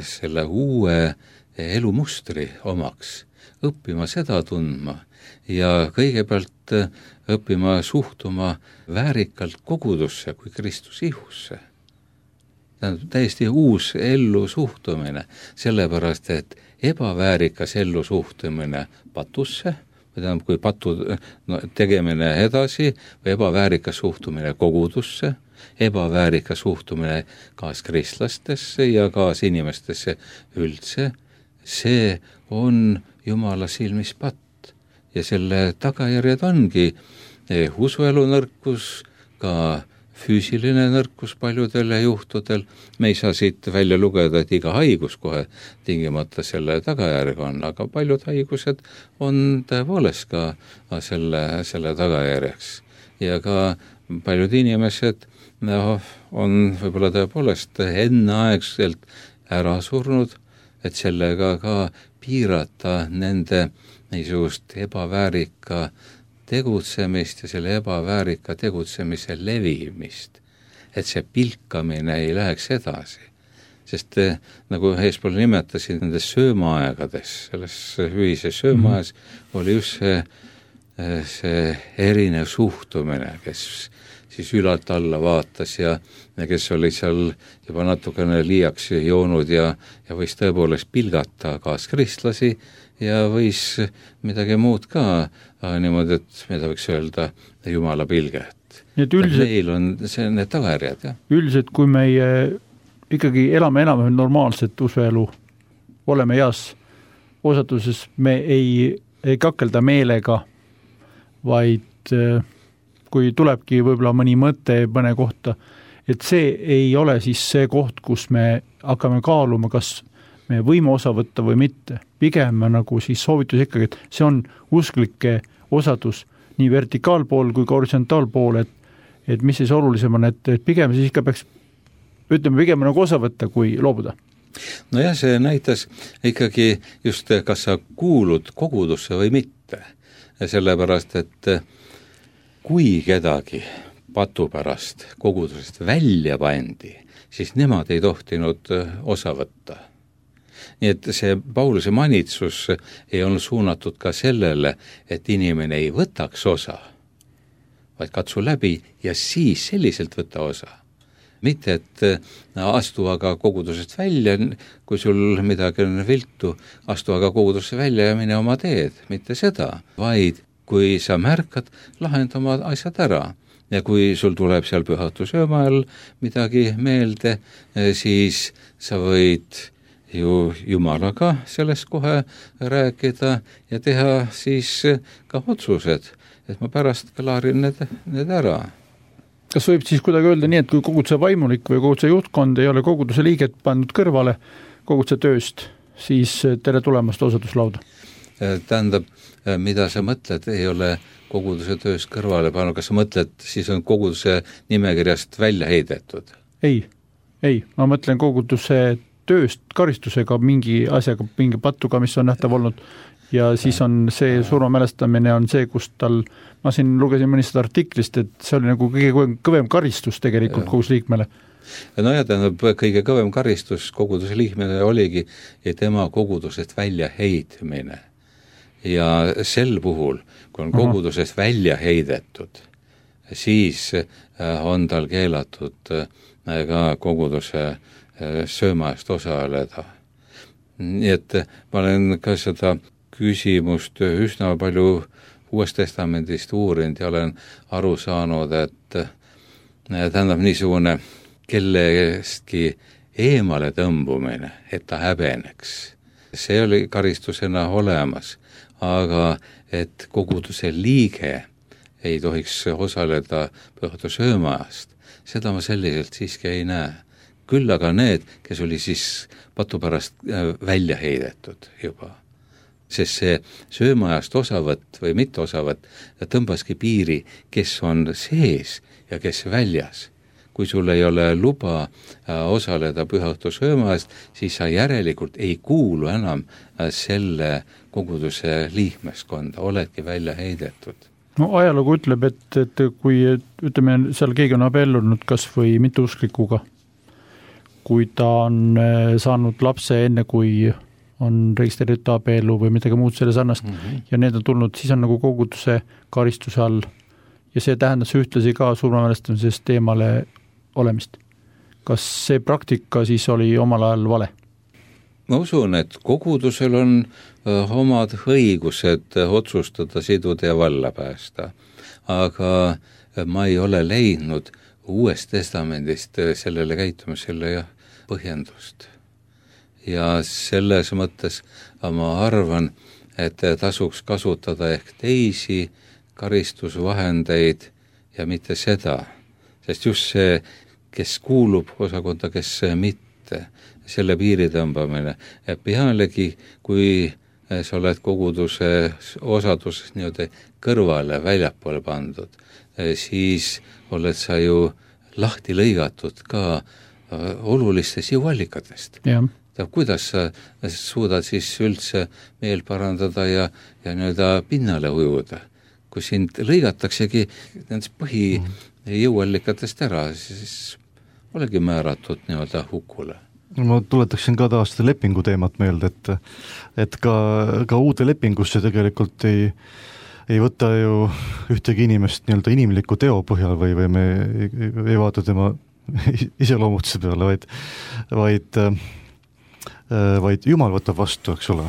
[SPEAKER 1] selle uue elumustri omaks, õppima seda tundma ja kõigepealt õppima suhtuma väärikalt kogudusse kui Kristus ihusse. Tähendab, täiesti uus ellu suhtumine, sellepärast, et ebaväärikas ellu suhtumine patusse, tähendab, kui patu no, tegemine edasi või ebaväärikas suhtumine kogudusse, ebaväärikas suhtumine kaaskristlastesse ja kaasinimestesse üldse, see on Jumala silmis patt ja selle tagajärjed ongi usuelu nõrkus, ka füüsiline nõrkus paljudel juhtudel. Me ei saa siit välja lugeda, et iga haigus kohe tingimata selle tagajärg on, aga paljud haigused on tõepoolest ka selle, selle tagajärjeks. Ja ka paljud inimesed no, on võib-olla tõepoolest enneaegselt ära surnud, et sellega ka piirata nende niisugust ebaväärika tegutsemist ja selle ebaväärika tegutsemise levimist, et see pilkamine ei läheks edasi. Sest nagu eespool nimetasin, nendes söömaaegades, selles ühises söömaajas mm-hmm. oli just see, see erinev suhtumine, kes siis ülalt alla vaatas ja, ja kes oli seal juba natukene liiaks joonud ja, ja võis tõepoolest pilgata kaaskristlasi ja võis midagi muud ka niimoodi, et mida võiks öelda Jumala pilget.
[SPEAKER 2] Üldiselt,
[SPEAKER 1] meil on see, need tagajärjed. Ja?
[SPEAKER 2] Üldiselt, kui meie ikkagi elame enam normaalset usuelu, oleme heas osatuses, me ei, ei kakelda meelega, vaid kui tulebki võib-olla mõni mõte mõne kohta, et see ei ole siis see koht, kus me hakkame kaaluma, kas me võime osa võtta või mitte. Pigem nagu siis soovitus ikkagi, et see on usklike osadus nii vertikaalpool kui ka horisontaalpool, et, et mis siis olulisem on, et, et pigem siis ikka peaks ütleme pigem nagu osa võtta, kui loobuda.
[SPEAKER 1] No jah, see näitas ikkagi just, kas sa kuulud kogudusse või mitte. Sellepärast, et kui kedagi patu pärast kogudusest välja pandi, siis nemad ei tohtinud osa võtta. Nii et see Pauluse manitsus ei olnud suunatud ka sellele, et inimene ei võtaks osa, vaid katsu läbi ja siis selliselt võtta osa. Mitte, et astu aga kogudusest välja, kui sul midagi on viltu, astu aga kogudusesse välja ja mine oma teed, mitte seda, vaid kui sa märkad, lahend oma asjad ära. Ja kui sul tuleb seal pühatusööma all midagi meelde, siis sa võid ju Jumalaga sellest kohe rääkida ja teha siis ka otsused, et ma pärast klaarin need, need ära.
[SPEAKER 2] Kas võib siis kuidagi öelda nii, et kui koguduse vaimulik või koguduse juhtkond ei ole koguduse liiget pandud kõrvale koguduse tööst, siis tere tulemast osaduslauda?
[SPEAKER 1] Tähendab, mida sa mõtled, ei ole koguduse tööst kõrvale pannud, kas sa mõtled, siis on koguduse nimekirjast välja heidetud?
[SPEAKER 2] Ei, ei, ma mõtlen koguduse tööst karistusega mingi asjaga, mingi patuga, mis on nähtav olnud ja siis on see surmamälestamine on see, kus tal, ma siin lugesin mõnist artiklist, et see oli nagu kõige kõvem karistus tegelikult koguduse liikmele.
[SPEAKER 1] No ja tähendab, kõige kõvem karistus koguduse liikmele oligi ja tema kogudusest välja heitmine. Ja sel puhul, kui on kogudusest välja heidetud, siis on tal keelatud ka koguduse söömaast osaleda. Nii et ma olen ka seda küsimust üsna palju Uuest Testamendist uurinud ja olen aru saanud, et tähendab niisugune kellestki eemale tõmbumine, et ta häbeneks. See oli karistusena olemas, aga et koguduse liige ei tohiks osaleda pühatusöömaast, seda ma selliselt siiski ei näe. Küll aga need, kes oli siis patu pärast välja heidetud juba. Sest see söömaajast osavõtt või mitte osavõtt tõmbaski piiri, kes on sees ja kes väljas. Kui sul ei ole luba osaleda pühatusöömaast, siis sa järelikult ei kuulu enam selle koguduse liikmeskonda, oledki välja heidetud.
[SPEAKER 2] No ajalugu ütleb, et, et kui ütleme, seal keegi on abiellunud kas või mitteusklikuga, kui ta on saanud lapse enne, kui on registreeritud abielu või midagi muud selle sarnast mm-hmm. ja need on tulnud, siis on nagu koguduse karistuse all ja see tähendas ühtlasi ka surmamälestamisest eemale olemist. Kas see praktika siis oli omal ajal vale?
[SPEAKER 1] Ma usun, et kogudusel on omad õigused otsustada, siduda ja valla päästa, aga ma ei ole leidnud Uuest Testamendist sellele käitumisele ja põhjendust. Ja selles mõttes ma arvan, et tasuks kasutada ehk teisi karistusvahendeid ja mitte seda, sest just see, kes kuulub osakonda, kes mitte, selle piiri tõmbamine. Pealegi, kui sa oled koguduse osaduses nii-öelda kõrvale väljapoole pandud, siis oled sa ju lahti lõigatud ka olulistest jõuallikatest.
[SPEAKER 2] Ja.
[SPEAKER 1] Kuidas sa suudad siis üldse meel parandada ja, ja nii-öelda pinnale ujuda? Kui sind lõigataksegi nendest põhijõuallikatest ära, siis olegi määratud nii-öelda hukule.
[SPEAKER 3] Ma tuletaksin ka taas seda lepingu teemat meelde, et, et ka, ka uude lepingusse tegelikult ei ei võta ju ühtegi inimest nii-öelda inimliku teo põhjal või, või me ei, ei vaata tema iseloomutuse peale, vaid, vaid, vaid Jumal võtab vastu, eks ole,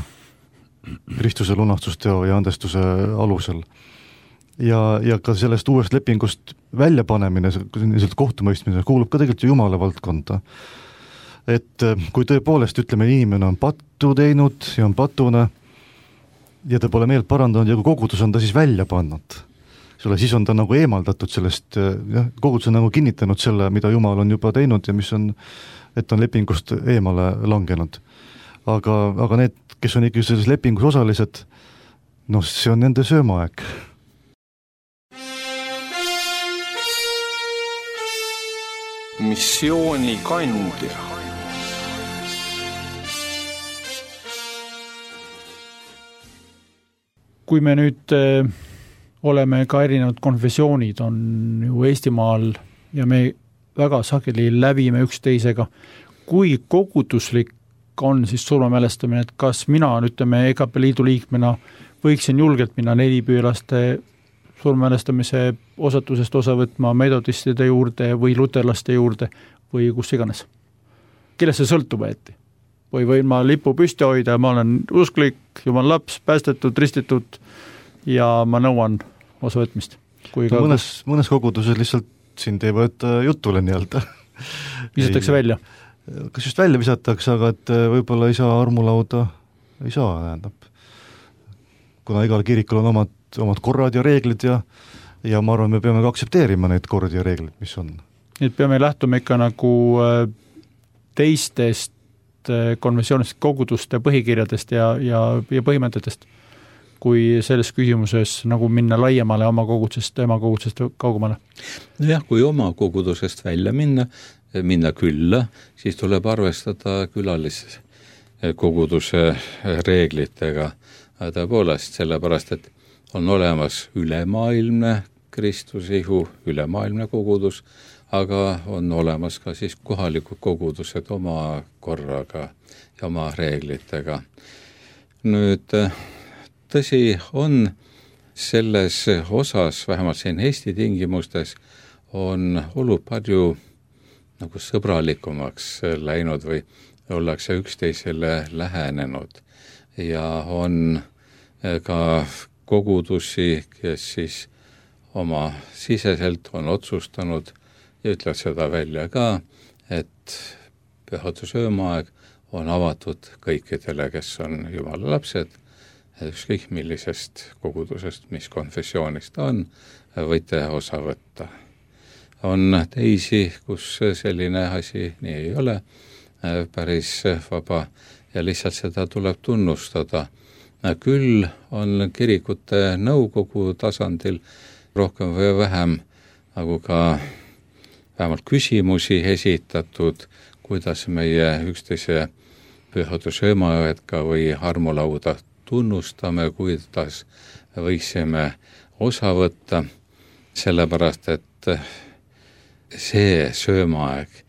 [SPEAKER 3] Kristuse lunastusteo ja andestuse alusel. Ja, ja ka sellest uuest lepingust väljapanemine, kohtumõistmine kuulub ka tegelikult Jumala valdkonda. Et kui tõepoolest, ütleme, inimene on pattu teinud ja on patuna, ja ta pole meelt parandanud ja kui kogudus on ta siis välja pannud. Siis on ta nagu eemaldatud sellest, jah, kogudus on nagu kinnitanud selle, mida Jumal on juba teinud ja mis on, et on lepingust eemale langenud. Aga, aga need, kes on ikkagi selles lepingus osalised, noh, see on nende söömaaeg.
[SPEAKER 4] missioonikandja.
[SPEAKER 2] Kui me nüüd äh, oleme ka erinevad konfessioonid on ju Eestimaal ja me väga sageli läbime üksteisega, kui koguduslik on siis surmamälestamine, et kas mina, ütleme, E K P liidu liikmena võiksin julgelt minna nelipüülaste surmamälestamise osatusest osa võtma metodistide juurde või luterlaste juurde või kus iganes. Kellest see sõltub äeti? Või võin ma lipu püsti hoida, ma olen usklik, jumal laps, päästetud, ristitud ja ma nõuan osa võtmist. Kui
[SPEAKER 3] no, mõnes, mõnes koguduses lihtsalt sind ei võeta jutule nii-öelda.
[SPEAKER 2] Visatakse välja?
[SPEAKER 3] Kas just välja visatakse, aga et võib-olla ei saa armulauda, ei saa, tähendab. Kuna igal kirikul on omad, omad korrad ja reeglid ja, ja ma arvan, me peame ka aksepteerima neid kordi ja reeglid, mis on. Nii
[SPEAKER 2] et peame lähtuma ikka nagu teistest konventsioonist koguduste põhikirjadest ja, ja, ja põhimõtetest, kui selles küsimuses nagu minna laiemale oma kogudusest, ema kogudusest kaugemale.
[SPEAKER 1] Jah, kui oma kogudusest välja minna, minna külla, siis tuleb arvestada külalis koguduse reeglitega. Tõepoolest, sellepärast, et on olemas ülemaailmne Kristusihu, ülemaailmne kogudus, aga on olemas ka siis kohalikud kogudused oma korraga ja oma reeglitega. Nüüd, tõsi on selles osas, vähemalt siin Eesti tingimustes, on olud palju nagu sõbralikumaks läinud või ollakse üksteisele lähenenud ja on ka kogudusi, kes siis oma siseselt on otsustanud ja ütlevad seda välja ka, et pühadussöömaaeg on avatud kõikidele, kes on Jumala lapsed, ükskõik millisest kogudusest, mis konfessioonist on, võite osa võtta. On teisi, kus selline asi nii ei ole, päris vaba ja lihtsalt seda tuleb tunnustada. Küll on kirikute nõukogu tasandil rohkem või vähem nagu ka vähemalt küsimusi esitatud, kuidas meie üksteise pühadussöömaaega või armulauda tunnustame, kuidas võiksime osa võtta, sellepärast et see söömaaeg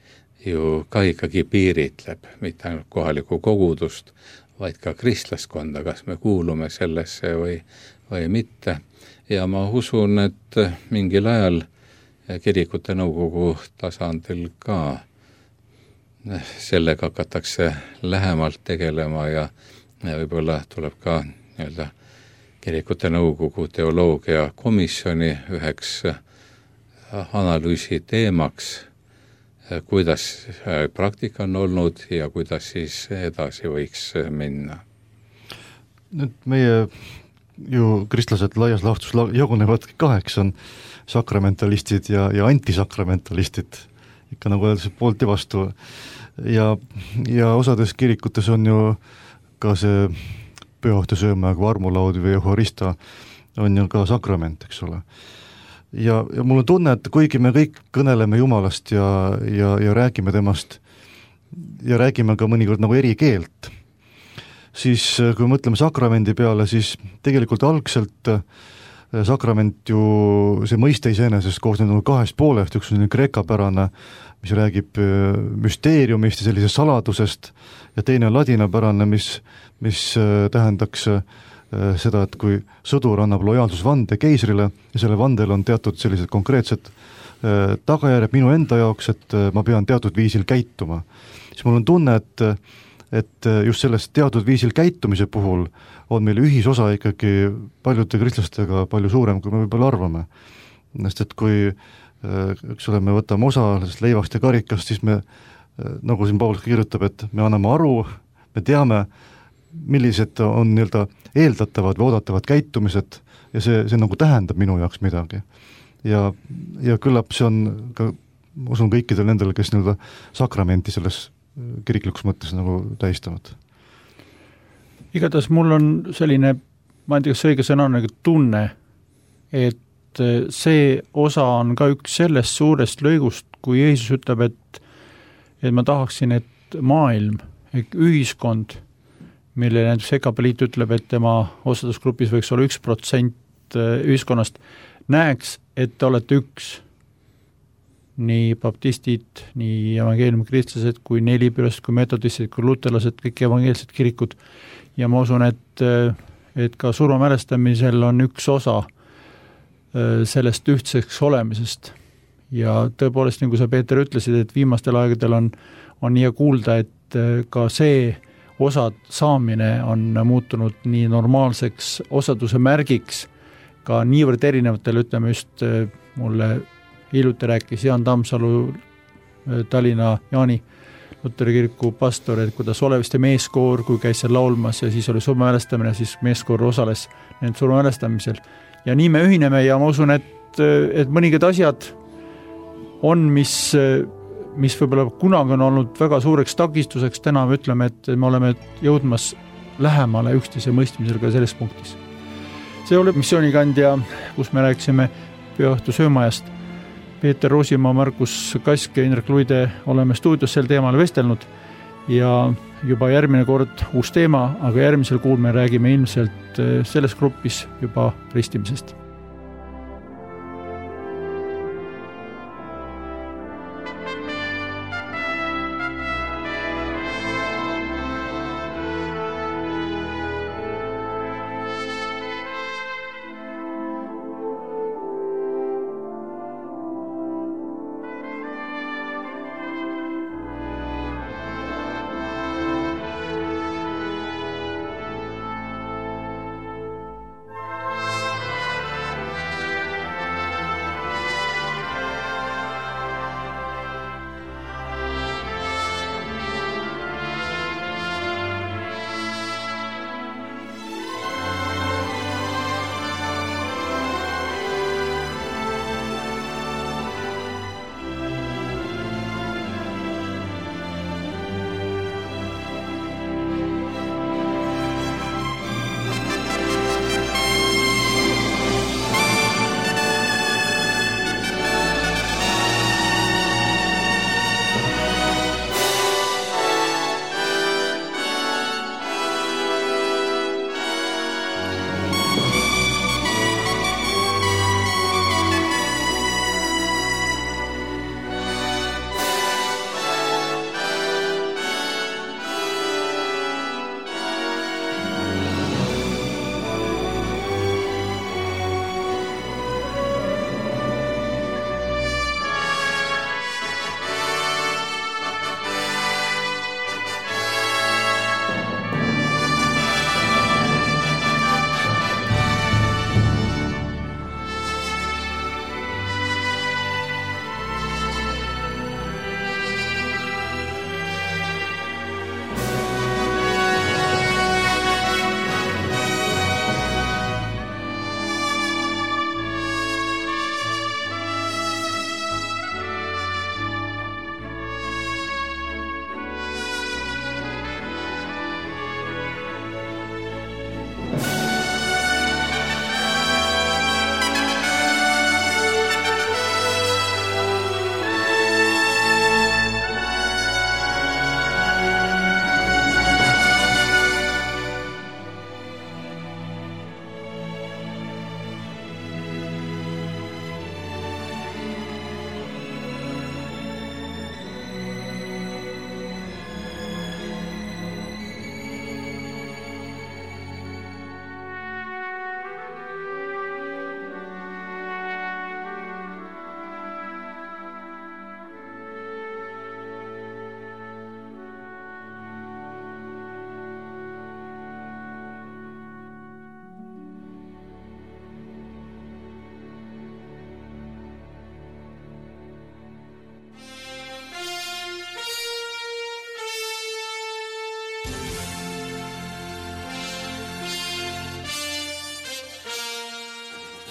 [SPEAKER 1] ju ka ikkagi piiritleb mitte ainult kohalikku kogudust, vaid ka kristlaskonda, kas me kuulume sellesse või, või mitte. Ja ma usun, et mingil ajal kirikute nõukogu tasandil ka sellega hakatakse lähemalt tegelema ja võib-olla tuleb ka nii-öelda kirikute nõukogu teoloogia komisjoni üheks analüüsi teemaks, kuidas praktika on olnud ja kuidas siis edasi võiks minna.
[SPEAKER 3] Nüüd meie ju kristlased laias laastus jagunevad kaheks, on sakramentalistid ja, ja antisakramentalistid, ikka nagu öeldakse poolt ja vastu. Ja, ja osades kirikutes on ju ka see pühadussöömaaeg või armulaud või euharista on ju ka sakrament, eks ole. Ja, ja mul on tunne, et kuigi me kõik kõneleme Jumalast ja, ja, ja räägime temast ja räägime ka mõnikord nagu eri keelt, siis kui mõtleme sakramendi peale, siis tegelikult algselt sakrament ju, see mõiste iseenesest koosneb kahest poolest, üks on kreekapärane, mis räägib müsteeriumist ja sellisest saladusest ja teine on ladinapärane, mis, mis tähendaks seda, et kui sõdur annab lojaalsusvande keisrile ja selle vandel on teatud sellised konkreetsed tagajärjed minu enda jaoks, et ma pean teatud viisil käituma, siis mul on tunne, et et just sellest teatud viisil käitumise puhul on meil ühisosa ikkagi paljude kristlastega palju suurem, kui me võib-olla arvame. Sest et kui eks ole, me võtame osa leivast ja karikast, siis me, nagu siin Paulus kirjutab, et me anname aru, me teame, millised on nii-öelda eeldatavad või oodatavad käitumised ja see, see nagu tähendab minu jaoks midagi. Ja, ja küllap see on ka, ma usun kõikidel nendel, kes nii-öelda sakramenti selles kiriklikus mõttes nagu tähistavad.
[SPEAKER 2] Igatahes mul on selline, ma ei tea, kas õige sõna on nagu tunne, et see osa on ka üks sellest suurest lõigust, kui Jeesus ütleb, et et ma tahaksin, et maailm, ühiskond, mille näiteks Ekapeliit ütleb, et tema osadusgrupis võiks olla üks protsent ühiskonnast, näeks, et te olete üks. Nii baptistid, nii evangeeliumi kristlased, kui nelipürast, kui metodistid, kui luterlased, kõik evangeelsed kirikud. Ja ma usun, et, et ka surma mälestamisel on üks osa sellest ühtseks olemisest. Ja tõepoolest, nagu sa, Peeter, ütlesid, et viimastel aegadel on, on nii kuulda, et ka see osa saamine on muutunud nii normaalseks osaduse märgiks, ka niivõrd erinevatel, ütleme just mulle hiljuti rääkis Jaan Tammsalu, Tallinna Jaani Luteri kiriku pastor, et kuidas Oleviste meeskoor, kui käis seal laulmas ja siis oli surmamälestamine, siis meeskoor osales nende surmamälestamisel. Ja nii me ühineme ja ma usun, et, et mõningad asjad on, mis, mis võib-olla kunagi on olnud väga suureks takistuseks, täna me ütleme, et me oleme jõudmas lähemale üksteise mõistmisel ka selles punktis. See oli missioonikandja, kus me rääkisime pühaõhtu söömajast. Peeter Roosimaa, Markus Kask ja Indrek Luide oleme stuudios sel teemal vestelnud ja juba järgmine kord uus teema, aga järgmisel kuul me räägime ilmselt selles grupis juba ristimisest.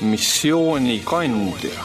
[SPEAKER 4] missioonikandja.